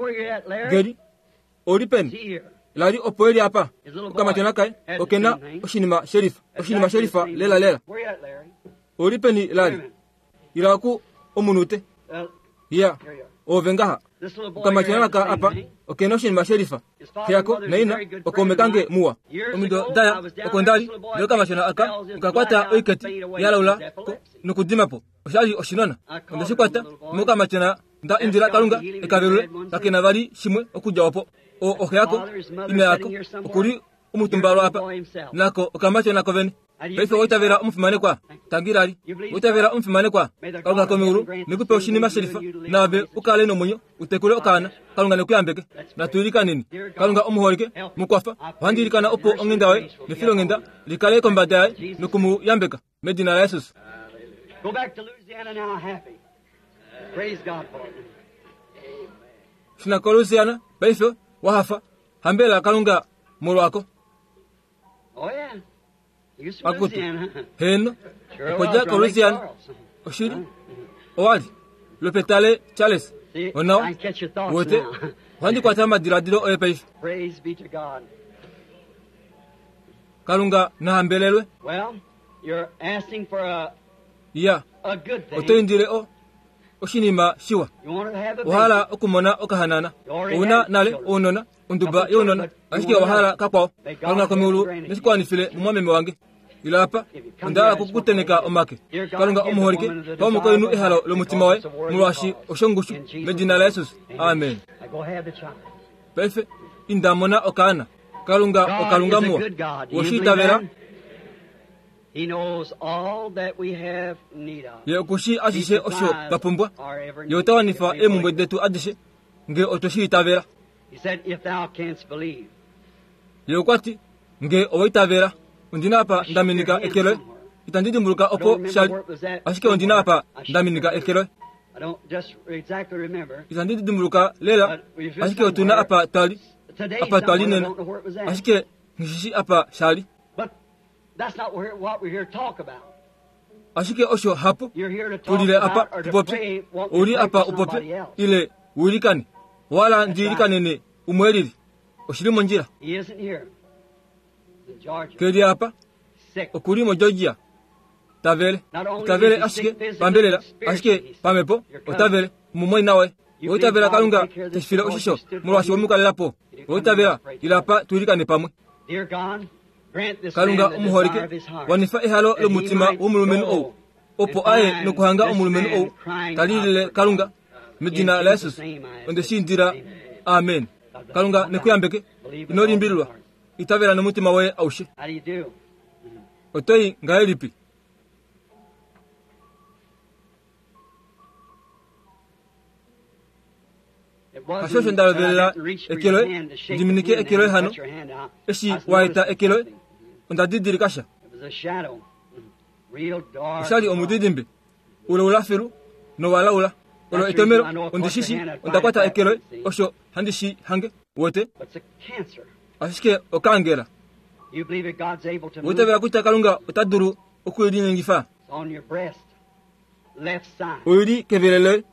Gary, ou li peni? La li opo e li apa. Okamatyona kaye oke na oshinima shelifa, oshinima shelifa lelalela. Ou li peni, Larry? Ila oku omunute. Ya, ove ngaha. Okamatyona aka apa oke na oshinima shelifa. Xe yako naina okaume kange muwa. Omido daya oko nda li, ndele okamatyona aka oka kwata oiketi ya laula ko nokudima po. Osha li oshinona. Onde shi kwata mokamatyona nda indila Kalunga e ka velule, kake na vali shimwe okudja opo. O, oxe yako, ina yako, oku li omutumbalwa apa, nako okamatyona kovene. Paife owa itavela omufimanekwa? Tangi Lali. Owa itavela omufimanekwa? Kalunga komeulu ne ku pe oshinima shelifa, naave u kale nomwenyo u tekule okaana. Kalunga ne ku yambeke. Natu ilikaneni. Kalunga omuholike, mu kwafa. Ohandi ilikana opo onghenda yoye nefilonghenda li kale kombada yaye noku mu yambeka. Medina laJesus. Shuna koLouisiana paife, wa hafa. Hambela Kalunga molwako. Akutu, heeno, okwa dja koLouisiana. Oshili, owa li lwopetale Charles. Onawa, wote, ohandi kwata omadiladilo oye paife. Kalunga na hambelelwe. Ya, oto indile o oshinima shiwa. Owa hala okumona okahanana. Ou na nale ounona. Onduba younona, ashike owa hala kakwao. Kalunga komeulu ne shi kwanifile mumwameme wange. Ila apa, onda hala oku ku tenheka omake. Kalunga omuholike, pa omukainhu ehalo lomutima waye, molwaashi oshongushu, medina laJesus. Amen. Paife, inda mona okaana. Kalunga oKalunga muwa. Owe shi itavela? Ye oku shii ashishe osho twa pumbwa. Ye ota wanifa eemhumbwe detu adishe, nge otwe shi itavela. Ye okwa ti, Nge owa itavela, ondi na apa nda minika eke loye. Itandi dimbuluka opo sha li, ashike ondi na apa nda minika eke loye. Itandi dimbuluka lela, ashike otu na apa twa li, apa twa li nena, ashike nghi shi apa sha li. Ashike osho hapo tu lile apa tu popye. Ou li apa u popye, ile u ilikane. Owa hala ndi ilikanene umwe e lili? Oshi li mondjila. Ke li apa. Oku li moGeorgia. Ta vele. Ita vele ashike pambelela, ashike pamhepo ota vele. Omumwaina waye. Oitavela Kalunga teshi file oshisho molwaashi we mu kalela po. Oitavela ilapa tuilikane pamwe. Kalunga omuholike, wanifa ehalo lomutima womulumenhu ou, opo aye nokuhanga omulumenhu ou ta lilile Kalunga medina laJesus. Onde shi indila. Amen. Kalunga nekuyambeke. Ino limbililwa. Itavela nomutima woye aushe. Oto i ngahelipi? Hasho osho nda lovelela eke loye, ndi minike eke loye hano. Eshi wa eta eke loye, onda didilika sha. Osha li omudidimbe ulaula filu nowalaula. Olo etomelo, ondi shi shi, onda kwata eke loye, osho handi shi hange. Wete? Ashike okaangela. Oitavela kutya Kalunga ota dulu oku i linyengifa? Oi li kevele loye,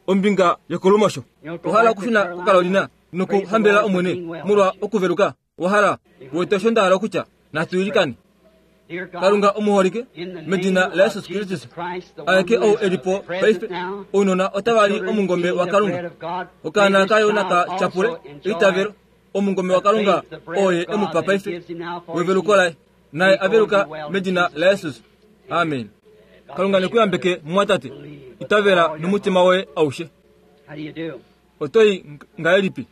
ombinga yokolumosho. Owa hala okushuna kuCarolina nokuhambelela Omwene molwa okuveluka? Owa hala? Wete osho nda hala okutya? Natu ilikane. Kalunga omuholike, medina laJesus Kristus, aeke ou e li po paife, ounona otava li omungome waKalunga. Okaana kayo naka tyapule eitavelo, omungome waKalunga oo ye e mu pa paife, weveluko laye. Naye a veluka medina laJesus. Amen. Kalunga ne ku yambeke, mumwatate. Itavela nomutima woye aushe. Oto i ngahelipi?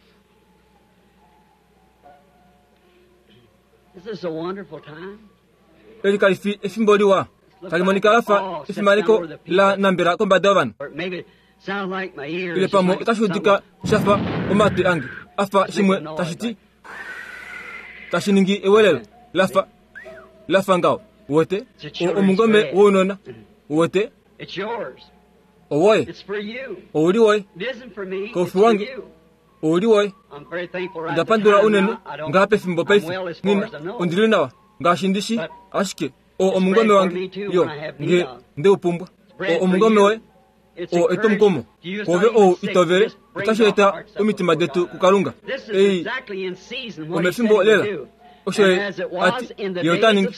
Eli kali fi efimbo liwa. Tali monika la fa efimaneko la nambela kombada yovanhu. Ile pamwe otashi udika sha fa omatwi ange a fa shimwe tashi ti tashi ningi ewelelo la fa la fa ngaho. Uwete? O, omungome wounona. Uwete? Owoye. Ou li woye. Koufi wange. Ou li woye. Onda pandula unene ngaha pefimbo paife. Nina, ondi li nawa, ngaashi ndi shi, ashike oo omungome wange, yo, nge nde u pumbwa. Oo omungome woye. Oo etwomukumo kwoove ou itovele, otashi eta omitima detu kuKalunga. Ei omefimbo lela osho ye a ti ye ota ningi.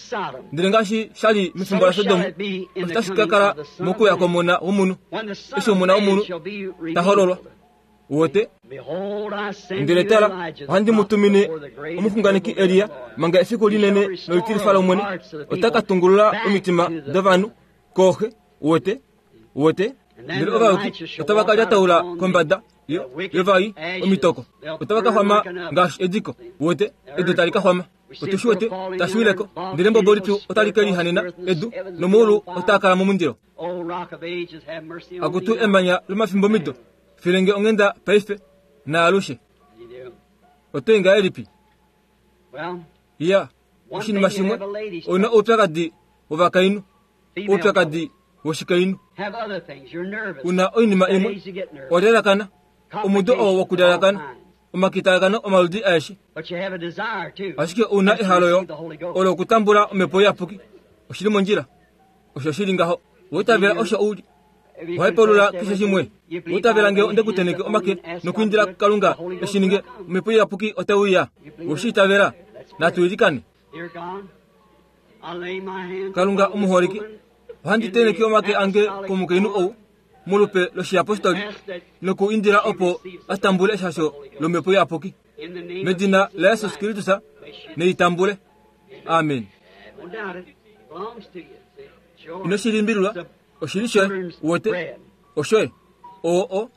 Ndele ngaashi sha li mefimbo laSodom, osho tashi ka kala mokuya kwOmona wOmunhu, eshi Omona wOmunhu ta hololwa. Uwete? Ndele tala, ohandi mu tumine omuxunganeki Elia manga efiku linene nolitilifa lOmwene, ota ka tungulula omitima dovanhu kooxe. Uwete? Uwete? Ndele ovayuki otava ka lyataula kombada yo, yovai omitoko. Otava ka xwama ngaashi ediko. Uwete? Edu tali ka xwama. Otu shi wete tashi wile ko, ndele embobo lipyu otali ke lihanena edu, nomaulu otaa kala momundilo. Akutu emanya lomafimbomido, file nge onghenda paife naalushe. Oto i ngahelipi? Iya, oshinima shimwe, ou na oupyakadi wovakainhu, oupyakadi woshikainhu. U na oinima imwe, wa lyalakana, omudo oo wokulyalakana, omakitalakano omaludi aeshe. Ashike ou na ehalo yo olo okutambula Omhepo Iyapuki. Oshi li mondjila. Osho shi li ngaho. Owa itavela osho u li. Owa hepaulula keshe shimwe. Owa itavela nge onde ku tenheke omake nokuindila Kalunga e shi ninge, Omhepo Iyapuki otai uya. Owe shi itavela? Natu ilikane. Kalunga omuholike, ohandi tenheke omake ange komukainhu ou molupe loshiyapostoli noku indila opo a tambule eshasho lOmhepo Iyapuki. Medina laJesus Kristus, nei tambule. Amen. Ino shi limbililwa, oshi li shoye, uwete, oshoye. Oo o,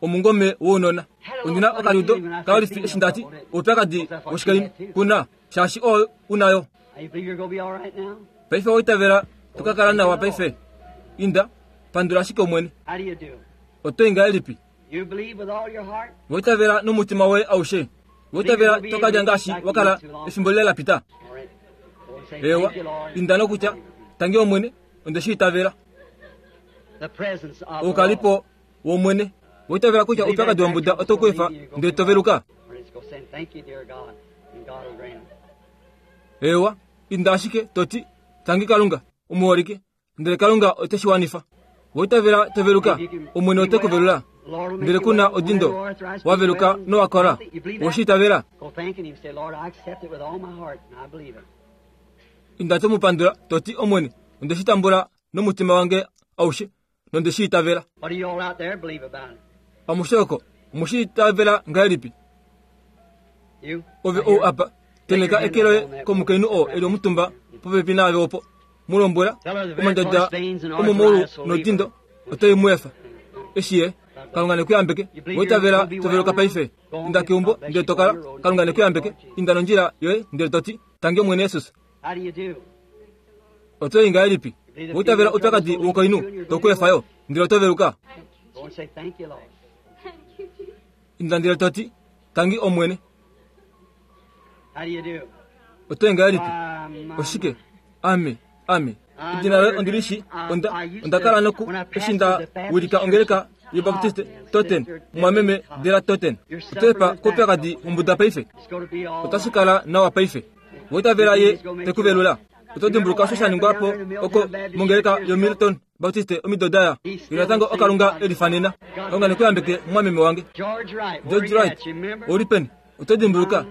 omungome wounona. Ondi na okaliudo kalifi eshi nda ti, oupyakadi woshikainhu ku na, shaashi oo u na yo. Paife owa itavela to ka kala nawa paife? Inda, pandula ashike Omwene. Oto i ngahelipi? Owa itavela nomutima woye aushe? Owa itavela to ka lya ngaashi wa kala efimbo lile la pita? Eewa, inda nokutya, Tangi Omwene, onde shi itavela. Oukalipo wOmwene. Owa itavela kutya oupyakadi wombuda oto ku efa ndele to veluka? Eewa, inda ashike to ti, Tangi Kalunga, omuholike, ndele Kalunga ote shi wanifa. Owa itavela to veluka, Omwene ote ku velula. Ndele ku na odindo, wa veluka nowa kola. Owe shi itavela? Inda to mu pandula, to ti, Omwene, onde shi tambula nomutima wange aushe, nonde shi itavela. Amushe oko, omu shi itavela ngahelipi? Ove ou apa, tenheka eke loye komukainhu oo e li omutumba popepi naave opo. Mu lombwela, omandjadja omomaulu nodindo otai mu efa. Eshi ye, Kalunga ne ku yambeke. Wa itavela to veluka paife. Inda keumbo ndele to kala. Kalunga ne ku yambeke. Inda nondjila yoye ndele to ti, Tangi Omwene Jesus. Oto i ngahelipi? Wa itavela oupyakadi wokainhu to ku efa yo, ndele oto veluka. Inda ndele to ti, Tangi Omwene. Oto i ngahelipi? Oshike? Ame, ame. Edina loye ondi li shi. Onda, onda kala noku, eshi nda wilika ongeleka yObaptiste, Totten, mumwameme Della Totten. Oto efa koupyakadi wombuda paife. Otashi kala nawa paife. Wa itavela Ye te ku velula. Oto dimbuluka osho sha ningwa po oko mongeleka yoMilton Baptiste omido da ya? Ye natango oKalunga e lifanena. Kalunga ne ku yambeke, mumwameme wange. George Wright, ou li peni? Oto dimbuluka?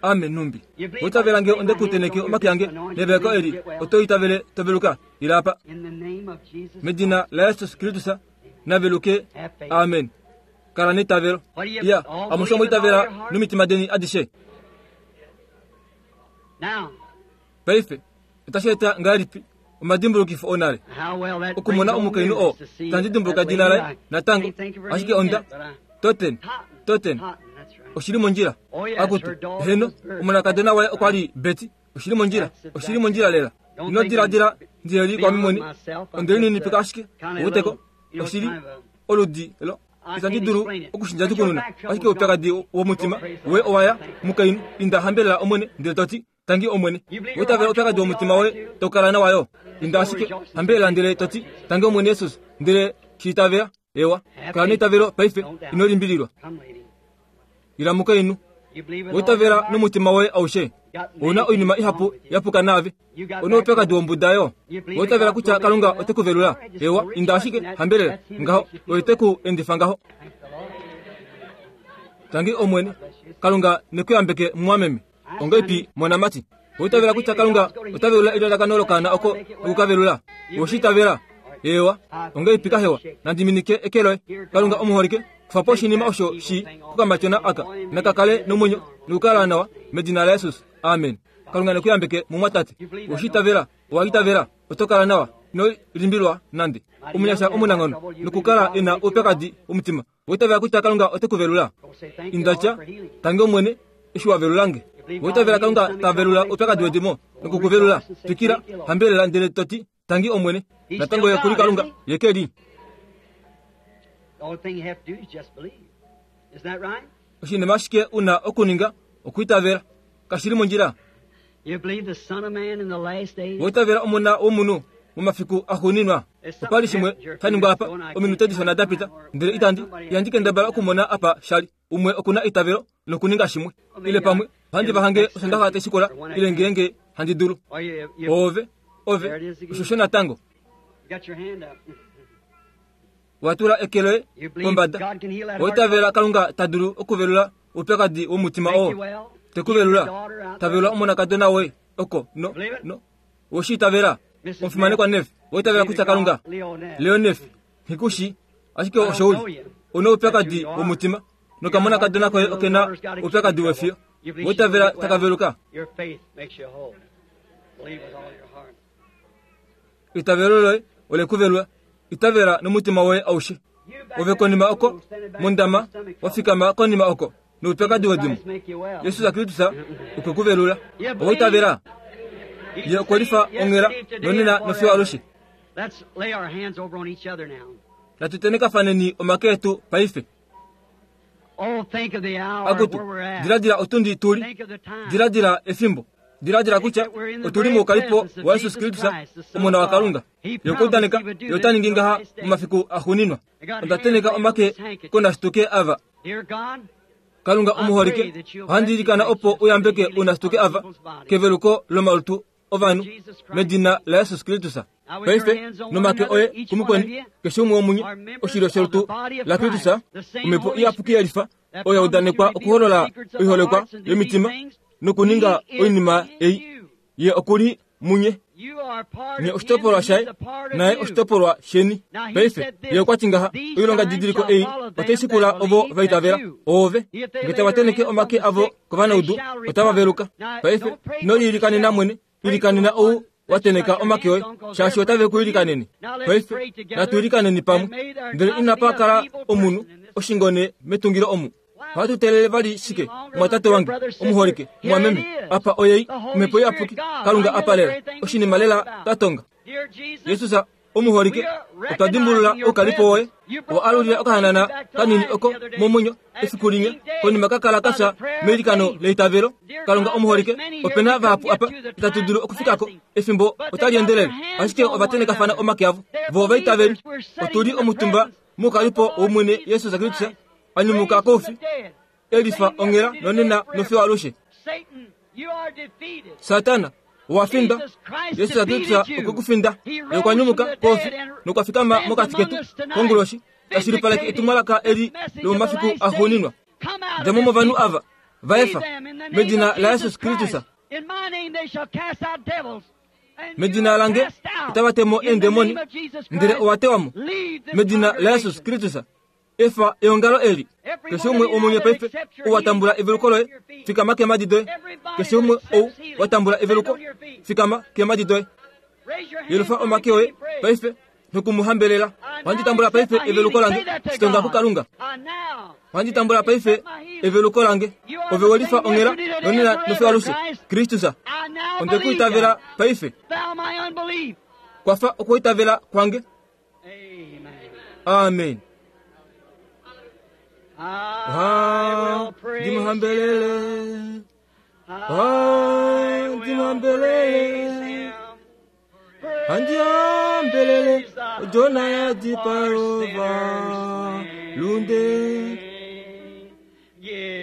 Ame nhumbi. Wa itavela nge onde ku tenheke omake ange neveleko eli, oto itavele to veluka? Ila apa. Medina laJesus Kristus, na veluke. Amen. Kala neitavelo. Iya, amushe omwa itavela nomitima deni adishe. Paife, otashi eta ngahelipi omadimbulukifo onale okumona omukainhu oo tandi dimbuluka edina laye natango, ashike onda Totten, Totten, oshi li mondjila. Akutu, heno, omonakadona waye okwa li Betty. Oshi li mondjila, oshi li mondjila lela. Ino diladila ndi li kwame mwene, onde lininipika ashike, uweteko, oshi li oludi lo Itandi dulu okushinjatukununa, ashike oupyakadi womutima woye owa ya, mukainhu. Inda hambelela Omwene ndele to ti, Tangi Omwene. Wa itavela oupyakadi womutima woye tau kala nawa yo. Inda ashike hambelela ndele to ti, Tangi Omwene Jesus, ndele shi itavela. Ewa, kala neitavelo paife, ino limbililwa. Ila mukainhu. Wa itavela nomutima woye aushe. Ou na oinima ihapu ya puka naave. Ou na oupyakadi wombuda yo. Owa itavela kutya Kalunga ote ku velula? Ewa, inda ashike, hambelela. Ngaho, Oye te ku endifa ngaho. Tangi Omwene. Kalunga ne ku yambeke, mumwameme. Ongeipi, monamati? Owa itavela kutya Kalunga ota velula elalakano lokaana oko noku ka velula? Owe shi itavela? Ewa. Ongeipi kahewa? Nandi minike eke loye. Kalunga omuholike, kufa po oshinima osho shi kokamatyona aka. Naka kale nomwenyo nokukala nawa, medina laJesus. Amen. Kalunga ne ku yambeke, mumwatate. Owe shi itavela? Owa itavela? Oto kala nawa. Ino limbilwa nande. Omunyasha omunanghono nokukala e na oupyakadi womutima. Owa itavela kutya Kalunga ote ku velula? Inda tya, Tangi Omwene, eshi wa velula nge. Owa itavela Kalunga ta velula oupyakadi wedimo noku ku velula? Twikila, hambelela ndele to ti, Tangi Omwene. Natango Ye oku li Kalunga, Ye ke li. Oshinima ashike u na okuninga okwiitavela. Kashi li mondjila? Owa itavela Omona wOmunhu momafiku axuuninwa? Opa li shimwe sha ningwa apa ominute dishona da pita, ndele itandi, ihandi kendabala okumona apa sha li. Umwe oku na eitavelo lokuninga shimwe. Ile pamwe ohandi va hange Osondaxa tai shikula, ile ngeenge handi dulu. Oove, ove, osho sho natango. Wa tula eke loye pombada. Owa itavela Kalunga ta dulu okuvelula oupyakadi womutima oo? Te ku velula. Ta velula omonakadona woye oko. No, no. Owe shi itavela? Omufimanekwa Neff, owa itavela kutya Kalunga? Leo Neff, nghi ku shi, ashike osho u li. Ou na oupyakadi womutima, nokamonakadona koye oke na oupyakadi wefiyo. Owa itavela taka veluka? Eitavelo loye ole ku velula. Itavela nomutima woye aushe. Ove konima oko, mondama, wa fikama konima oko, noupyakadi wedimo. Jesus Kristus okwe ku velula. Owa itavela? Ye okwe lifa onghela, nonena nofiyo alushe. Natu tenekafaneni omake etu paife. Akutu, diladila otundi tu li, diladila efimbo, diladila kutya otu li moukalipo waJesus Kristus, Omona waKalunga. Ye okwa udaneka Ye ota ningi ngaha momafiku axuuninwa. Onda tenheka omake konashituke ava. Kalunga omuholike, ohandi ilikana opo u yambeke ounashituke ava keveluko lomalutu ovanhu medina laJesus Kristus. Paife, nomake oye kumukweni, keshe umwe womunye, oshilyo sholutu laKristus, Omhepo Iyapuki ya lifa oyo ya udanekwa okuholola oiholekwa yomitima nokuninga oinima ei. Ye oku li munye. Nye oshitopolwa shaye, naye oshitopolwa sheni. Paife, ye okwa ti ngaha, Oilongadidiliko ei otai shikula ovo va itavela. Oove. Nge tava tenheke omake avo kovanaudu, otava veluka. Paife, ino liilikanena mwene, ilikanena ou wa tenheka omake oye, shaashi otave ku ilikanene. Paife, natu ilikaneni pamwe. Ndele inapa kala omunhu oshingone metungilo omu. Ohatu teelele vali shike, mwatate wange omuholike, mwameme? Apa oyei, Omhepo Iyapuki, Kalunga apa lela, oshinima lela twa tonga. Jesus omuholike, otwa dimbulula oukalipo woye. Owa alulila okahanana kanini oko momwenyo efiku linya, konima ka kala ka fya meilikano leitavelo. Kalunga omuholike, ope na vahapu apa itatu dulu okufika ko, efimbo otali endelele, ashike ova tenekafana omake avo. Vo ovaitaveli. Otu li omutumba moukalipo wOmwene Jesus Kristus, a nyumuka koufi, e lifa onghela nonena nofiyo alushe. Satana, owa findwa. Jesus Kristus okwe ku finda. Ye okwa nyumuka koufi nokwa fikama mokati ketu konguloshi, ta shilipaleke etumwalaka eli lomomafiku axuuninwa. Dja mo movanhu ava, va efa, medina laJesus Kristus. Medina lange otava te mo eendemoni, ndele owa tewa mo. Medina laJesus Kristus. Efa eongalo eli. Keshe umwe womunye paife ou wa tambula eveluko loye, fikama keemhadi doye. Keshe umwe ou wa tambula eveluko, fikama keemhadi doye. Yelufa omake oye paife noku mu hambelela. Ohandi tambula paife eveluko lange, shitonga kuKalunga. Ohandi tambula paife eveluko lange. Ove we lifa onghela nonena nofiyo alushe, Kristus. Onde ku itavela paife. Kwafa okuitavela kwange. Amen. Ohandi mu hambelele. Ohandi mu hambelele. Handi hambelele odjona ya dipalova lunde.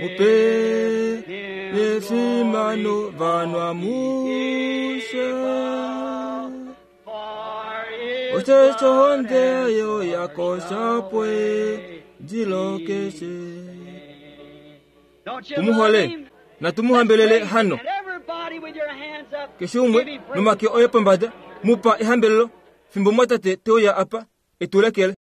Mupe nefimano vanhu amushe. Osheshi ohonde yo yakosha pwe dilokeshe. Tumuhole natu mu hambelele hano. Keshe umwe nomake oye pombada, mu pa ehambelelo fimbo mwatate te uya apa e tu lekele.